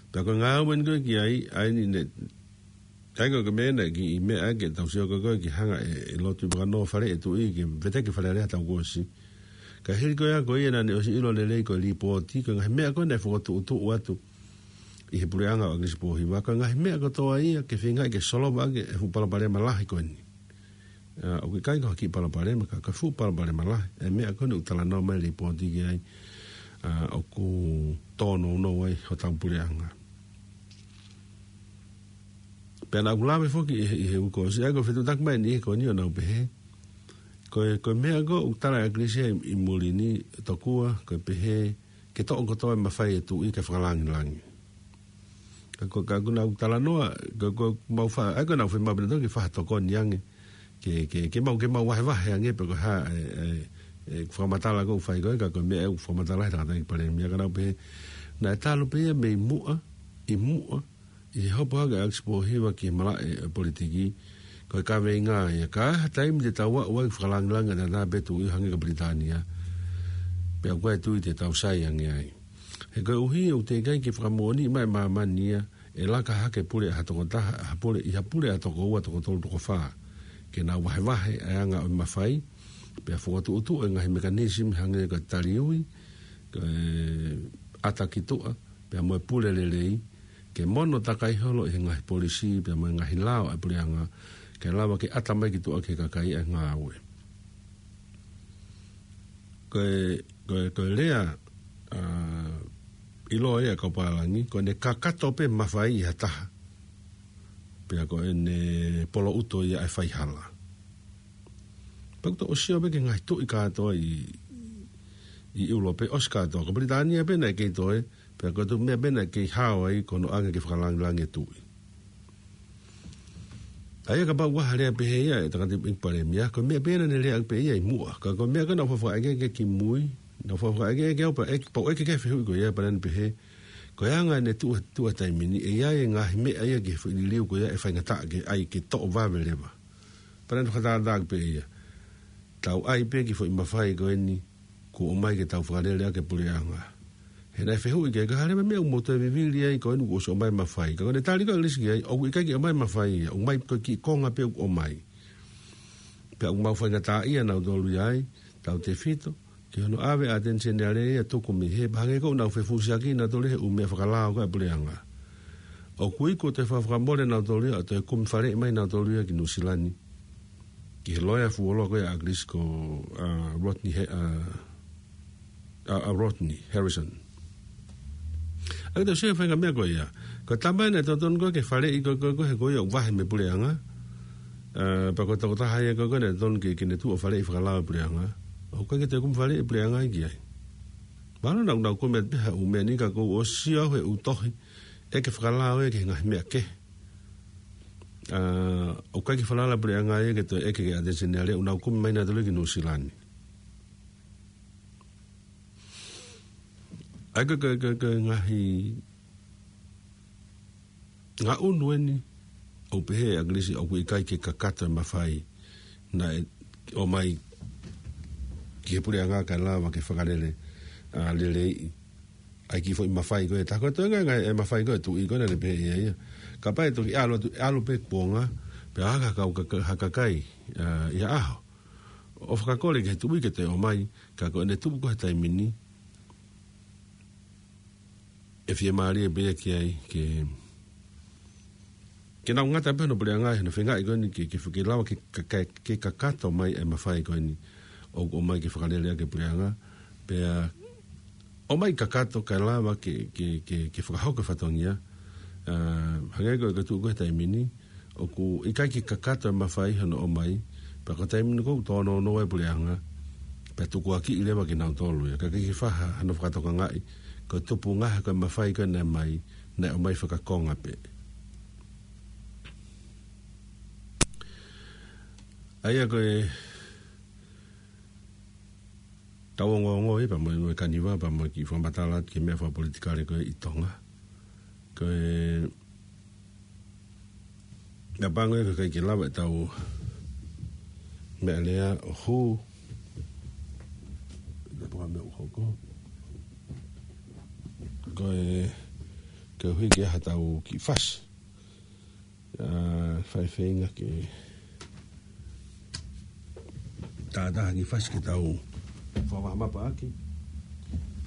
Pea ko e ngāue eni ko ē ki ai, ʻa eni ne, ʻa ia ko e meʻa naʻe kiʻi meʻa ke tau sio ko ē ke hanga ʻe, ʻe Lord Tuʻi Vakanō ʻo faleʻi e tuʻi ke veteki Fale Alea he taʻu kuo ʻosi. Ka hili ko ia ko ia naʻa ne ʻosi ʻilo lelei ko e lipooti, ko e ngaahi meʻa ko ē naʻe fokotuʻutuʻu atu ʻi he puleʻanga ʻo ʻAkilisi Pōhiva, ko e ngaahi meʻa kotoa ia ke feingaʻi ke solova ʻaki e fuʻu palopalema lahi ko eni. ʻA, ʻoku ʻikai ko ha kiʻi palopalema, ka ko e fuʻu palopalema lahi e meʻa ko eni ʻoku talanoa mai e lipooti ki ai, ʻa, ʻoku tōnounou ai hotau puleʻanga. Pea naʻa ku lave foki ʻi he, ʻi he uike kuo ʻosi, ʻa ia ko e fetuʻutaki mai eni ko eni ʻo nau pehē, ko e, ko e meʻa ko ē ʻoku tala ʻe ʻAkilisi ʻi, ʻi muli ni, tokua ko e pehē ke toʻo kotoa e mafai e tuʻi ke fakalāngilangi. Ka ko, ka ko ʻenau talanoa, ka ko ʻemau fa-, ʻa ia ko ʻenau fai maʻu pē ʻenau toki faʻa tokoni ange ke, ke, ke mau, ke mau vahevahe ange pe ko e hā e, e, e fakamatala ʻoku fai ko ē, ka ko e meʻa ʻoku fakamatala he tangataʻeiki palēmia, ka nau pehē naʻe talu pē ia mei muʻa, ʻi muʻa, ʻi he hopo hake ʻa ʻAkilisi Pōhiva ki he malaʻe ʻo e politiki, ko e kaveinga ia, ka ʻi ha taimi te tau aʻu ai ke fakalāngilangiʻi ʻataʻatā pē tuʻi ʻo hangē ko Pilitānia, pea ʻoku ʻikai tuʻi te tau sai ange ai. He koeʻuhi ʻoku teʻeki ai ke fakamoʻoniʻi mai ʻe māmani ia ʻe laka hake e pule ʻa ha tokotaha, ha pule, ʻi ha pule ʻa ha toko ua, toko tolu, toko fā, ke nau vahevahe e anga ʻo e mafai, pea fokotuʻutuʻu e ngaahi mekanīsimi hangē ko e taliui, ko e ʻata ki tuʻa, pea mo e pule lelei, ke mono takai holo ʻi he ngaahi polisī pea mo e ngaahi lao ʻa e puleʻanga, ke lava ke ʻata mai ki tuʻa ki he kakai ʻa e ngāue. Ko e, ko e, ko e lea, ʻa, ʻiloa ia ʻa e kau pālangi, ko ʻene kakato pē mafai ʻi ha taha, pea ko ʻene polouto ia ʻa e faihala. Pea ʻoku tau ʻosi ʻo pehē ki he ngaahi tuʻi kātoa ʻi, ʻi ʻIulope, ʻosi kātoa. Ko Pilitānia pē naʻe kei toe, pea ko e tuʻu meʻa pē naʻe kei hao ai ko hono ʻoange ke fakalāngilangiʻi e tuʻi. ʻA ia kapau ʻoku ʻi ai ha lea pehē ia ʻa e tangataʻeiki palēmia, ko e meʻa pē ia naʻa ne lea pē ia ʻi muʻa. Ka ko e meʻa ko ē naʻa ku faʻa fakaʻeke ki mui, naʻa ku faʻa fakaʻeke ki au pea ʻeke, pea u ʻeke ki he fehuʻi ko ia pea naʻa ne pehē, ko e anga ʻene tuʻu, tuʻu he taimi ni, ʻe ʻi ai e ngaahi meʻa ia ki he foʻi liliu ko ia ʻe faingataʻa ke ʻai ke toʻo vave leva. Pea naʻa ne fakatātā pē ia. Tau ʻai pē ki he foʻi mafai ko eni kuo ʻomai ke tau fakalele ʻaki e puleʻanga. He naʻe fehuʻi ki ai, ko e hā leva e meʻa ʻoku mou toe vivili ai ko eni kuo ʻosi ʻomai e mafai. Ka ko ʻene tali ko ē ʻa ʻAkilisi ki ai, ʻoku ʻikai ke ʻomai e mafai ia, ʻoku ʻomai ko e kiʻi konga pē ʻoku ʻomai. Pea ʻoku mau faingataʻaʻia nautolu ia ai, tautefito ki hono ʻave ʻa e ʻAteni Seniale ia ʻo tuku mei hē, pea hangē ko ʻenau fefusiaki nautolu he ʻū meʻa fakalao ko ē ʻa e puleʻanga. ʻOku ʻi ai, kuo toe fakamolemole nautolu ia ʻo toe kumi faleʻi mai nautolu ia ki Nuʻusila ni, ki he loea fuoloa ko ē ʻa ʻAkilisi ko, ʻa, Rodney He-, ʻa, ʻa, ʻa Rodney Harrison. ʻA ia tau sio ki he faʻahinga meʻa ko ia. Ko e tama ia naʻe totonu ko ē ke faleʻi ko ē, ko ē, ko ē, he ko ia ʻoku vahe mei he puleʻanga. ʻA, pea ko e tokotaha ia ko ē, ko ē naʻe totonu ke, ke ne tuʻu ʻo faleʻi fakalao e puleʻanga. ʻOku ʻikai ke toe kumi faleʻi e puleʻanga ia ki ai. Mahalo naʻa nau kumi atu pē ha ʻū meʻa ni ka ʻoku ou sio au he ʻū tohi ʻeke fakalao ia ki he ngaahi meʻa kehe. ʻA, ʻoku ʻikai ke falala e puleʻanga ia ke toe ʻeke ki he ʻAteni Seniale, ʻoku nau kumi mai nautolu ia ki Nuʻusila ni. ʻA ia ko e, ko e, ko e, ko e ngaahi ngaʻunu eni ʻoku pehē ʻe ʻAkilisi ʻoku ʻikai ke kakato e mafai naʻe ʻomai ki he puleʻanga kae lava ke fakalele, ʻa, leleiʻi ʻa e kiʻi foʻi mafai ko ē. Tā ko e toenga e mafai ko ē ʻa e tuʻi ko ē naʻa ne pehē ʻe ia ia, kapau ʻe toki ʻalu atu, ʻalu pē kuonga, pea haka kau ka-, ka-, ha kakai, ʻa, ʻi ha ʻaho ʻo fakakole ki he tuʻi ke toe ʻomai, ka ko ʻene tuʻu ko ē he taimi ni, ʻe fiemālie pē ia ki ai ke, ke nau ngata pē hono puleʻanga, hono feingaʻi ko eni ke, ke, ke lava ke, ke, ke, ke kakato mai e mafai ko eni ʻoku ʻomai ke fakalele ʻaki e puleʻanga, pea ʻomai kakato kae lava ke, ke, ke, ke fakahoko e fatongia, ʻa, hangē ko e, ko e tuʻu ko ē he taimi ni, ʻoku ʻikai ke kakato e mafai hono ʻomai, pea ko e taimi ni ʻoku tōnounou ai e puleʻanga, pea tukuakiʻi leva kinautolu ia, ka ʻikai ke fai ha, hano fakatokangaʻi, ko e tupunga ko ē e mafai ko ē naʻe ʻomai, naʻe ʻomai fakakonga pē. ʻA ia ko e tau ongoongo ia pea mo e kaniva pea mo e kiʻi fakamatala ki he meʻa fakapolitikale ko ē ʻi Tonga. Ko e meʻa pango ia ko e ʻikai ke lava ʻetau meʻalea ʻo hū. Ia pua meʻa ʻo hoko. Ko e, koeʻuhi ke ʻi ai haʻatau kiʻi fasi. ʻA, fai feinga ke tātā ha kiʻi fasi ke tau fakavaʻa mapa ʻaki.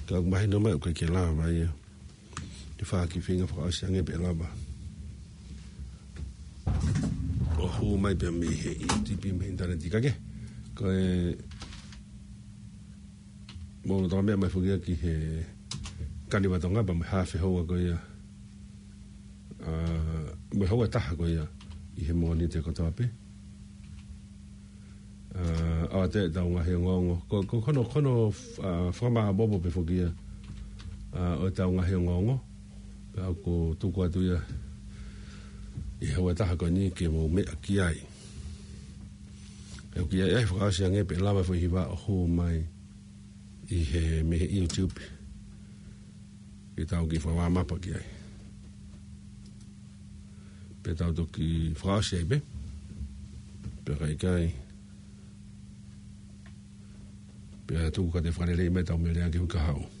Ka ʻoku mahino mai ʻoku ʻikai ke lava ia. Te u fai ha kiʻi feinga fakaʻosi ange pea lava ʻo hū mai pea mei he ʻi tipi mei he ʻinitaneti ka ke. Ko e mou tau meʻa mai foki ia ki he kaniva Tonga pea mo e hafe houa ko ia. ʻA, mo e houa ʻe taha ko ia ʻi he Mōnite kotoa pē. ʻA, ʻoatu ʻetau ngaahi ongoongo. Ko, ko, ko hono, ko hono, ʻa, fakamāʻopoʻopo pē foki ia. ʻA, ʻo ʻetau ngaahi ongoongo. Pea ʻoku tuku atu ia ʻi he houa ʻe taha ko eni ke mou meʻa ki ai. ʻOku ʻi ai ʻa e fakaʻosi ange pea lava foʻi hiva ʻo hū mai ʻi he mei he YouTube. Ke tau kiʻi fakavaʻa mapa ki ai. Pea tau toki fakaʻosi ai pē. Pea ka ʻikai. Pea tuku ka te fakalelei mai ʻetau meʻalea ki he uike kahaʻu.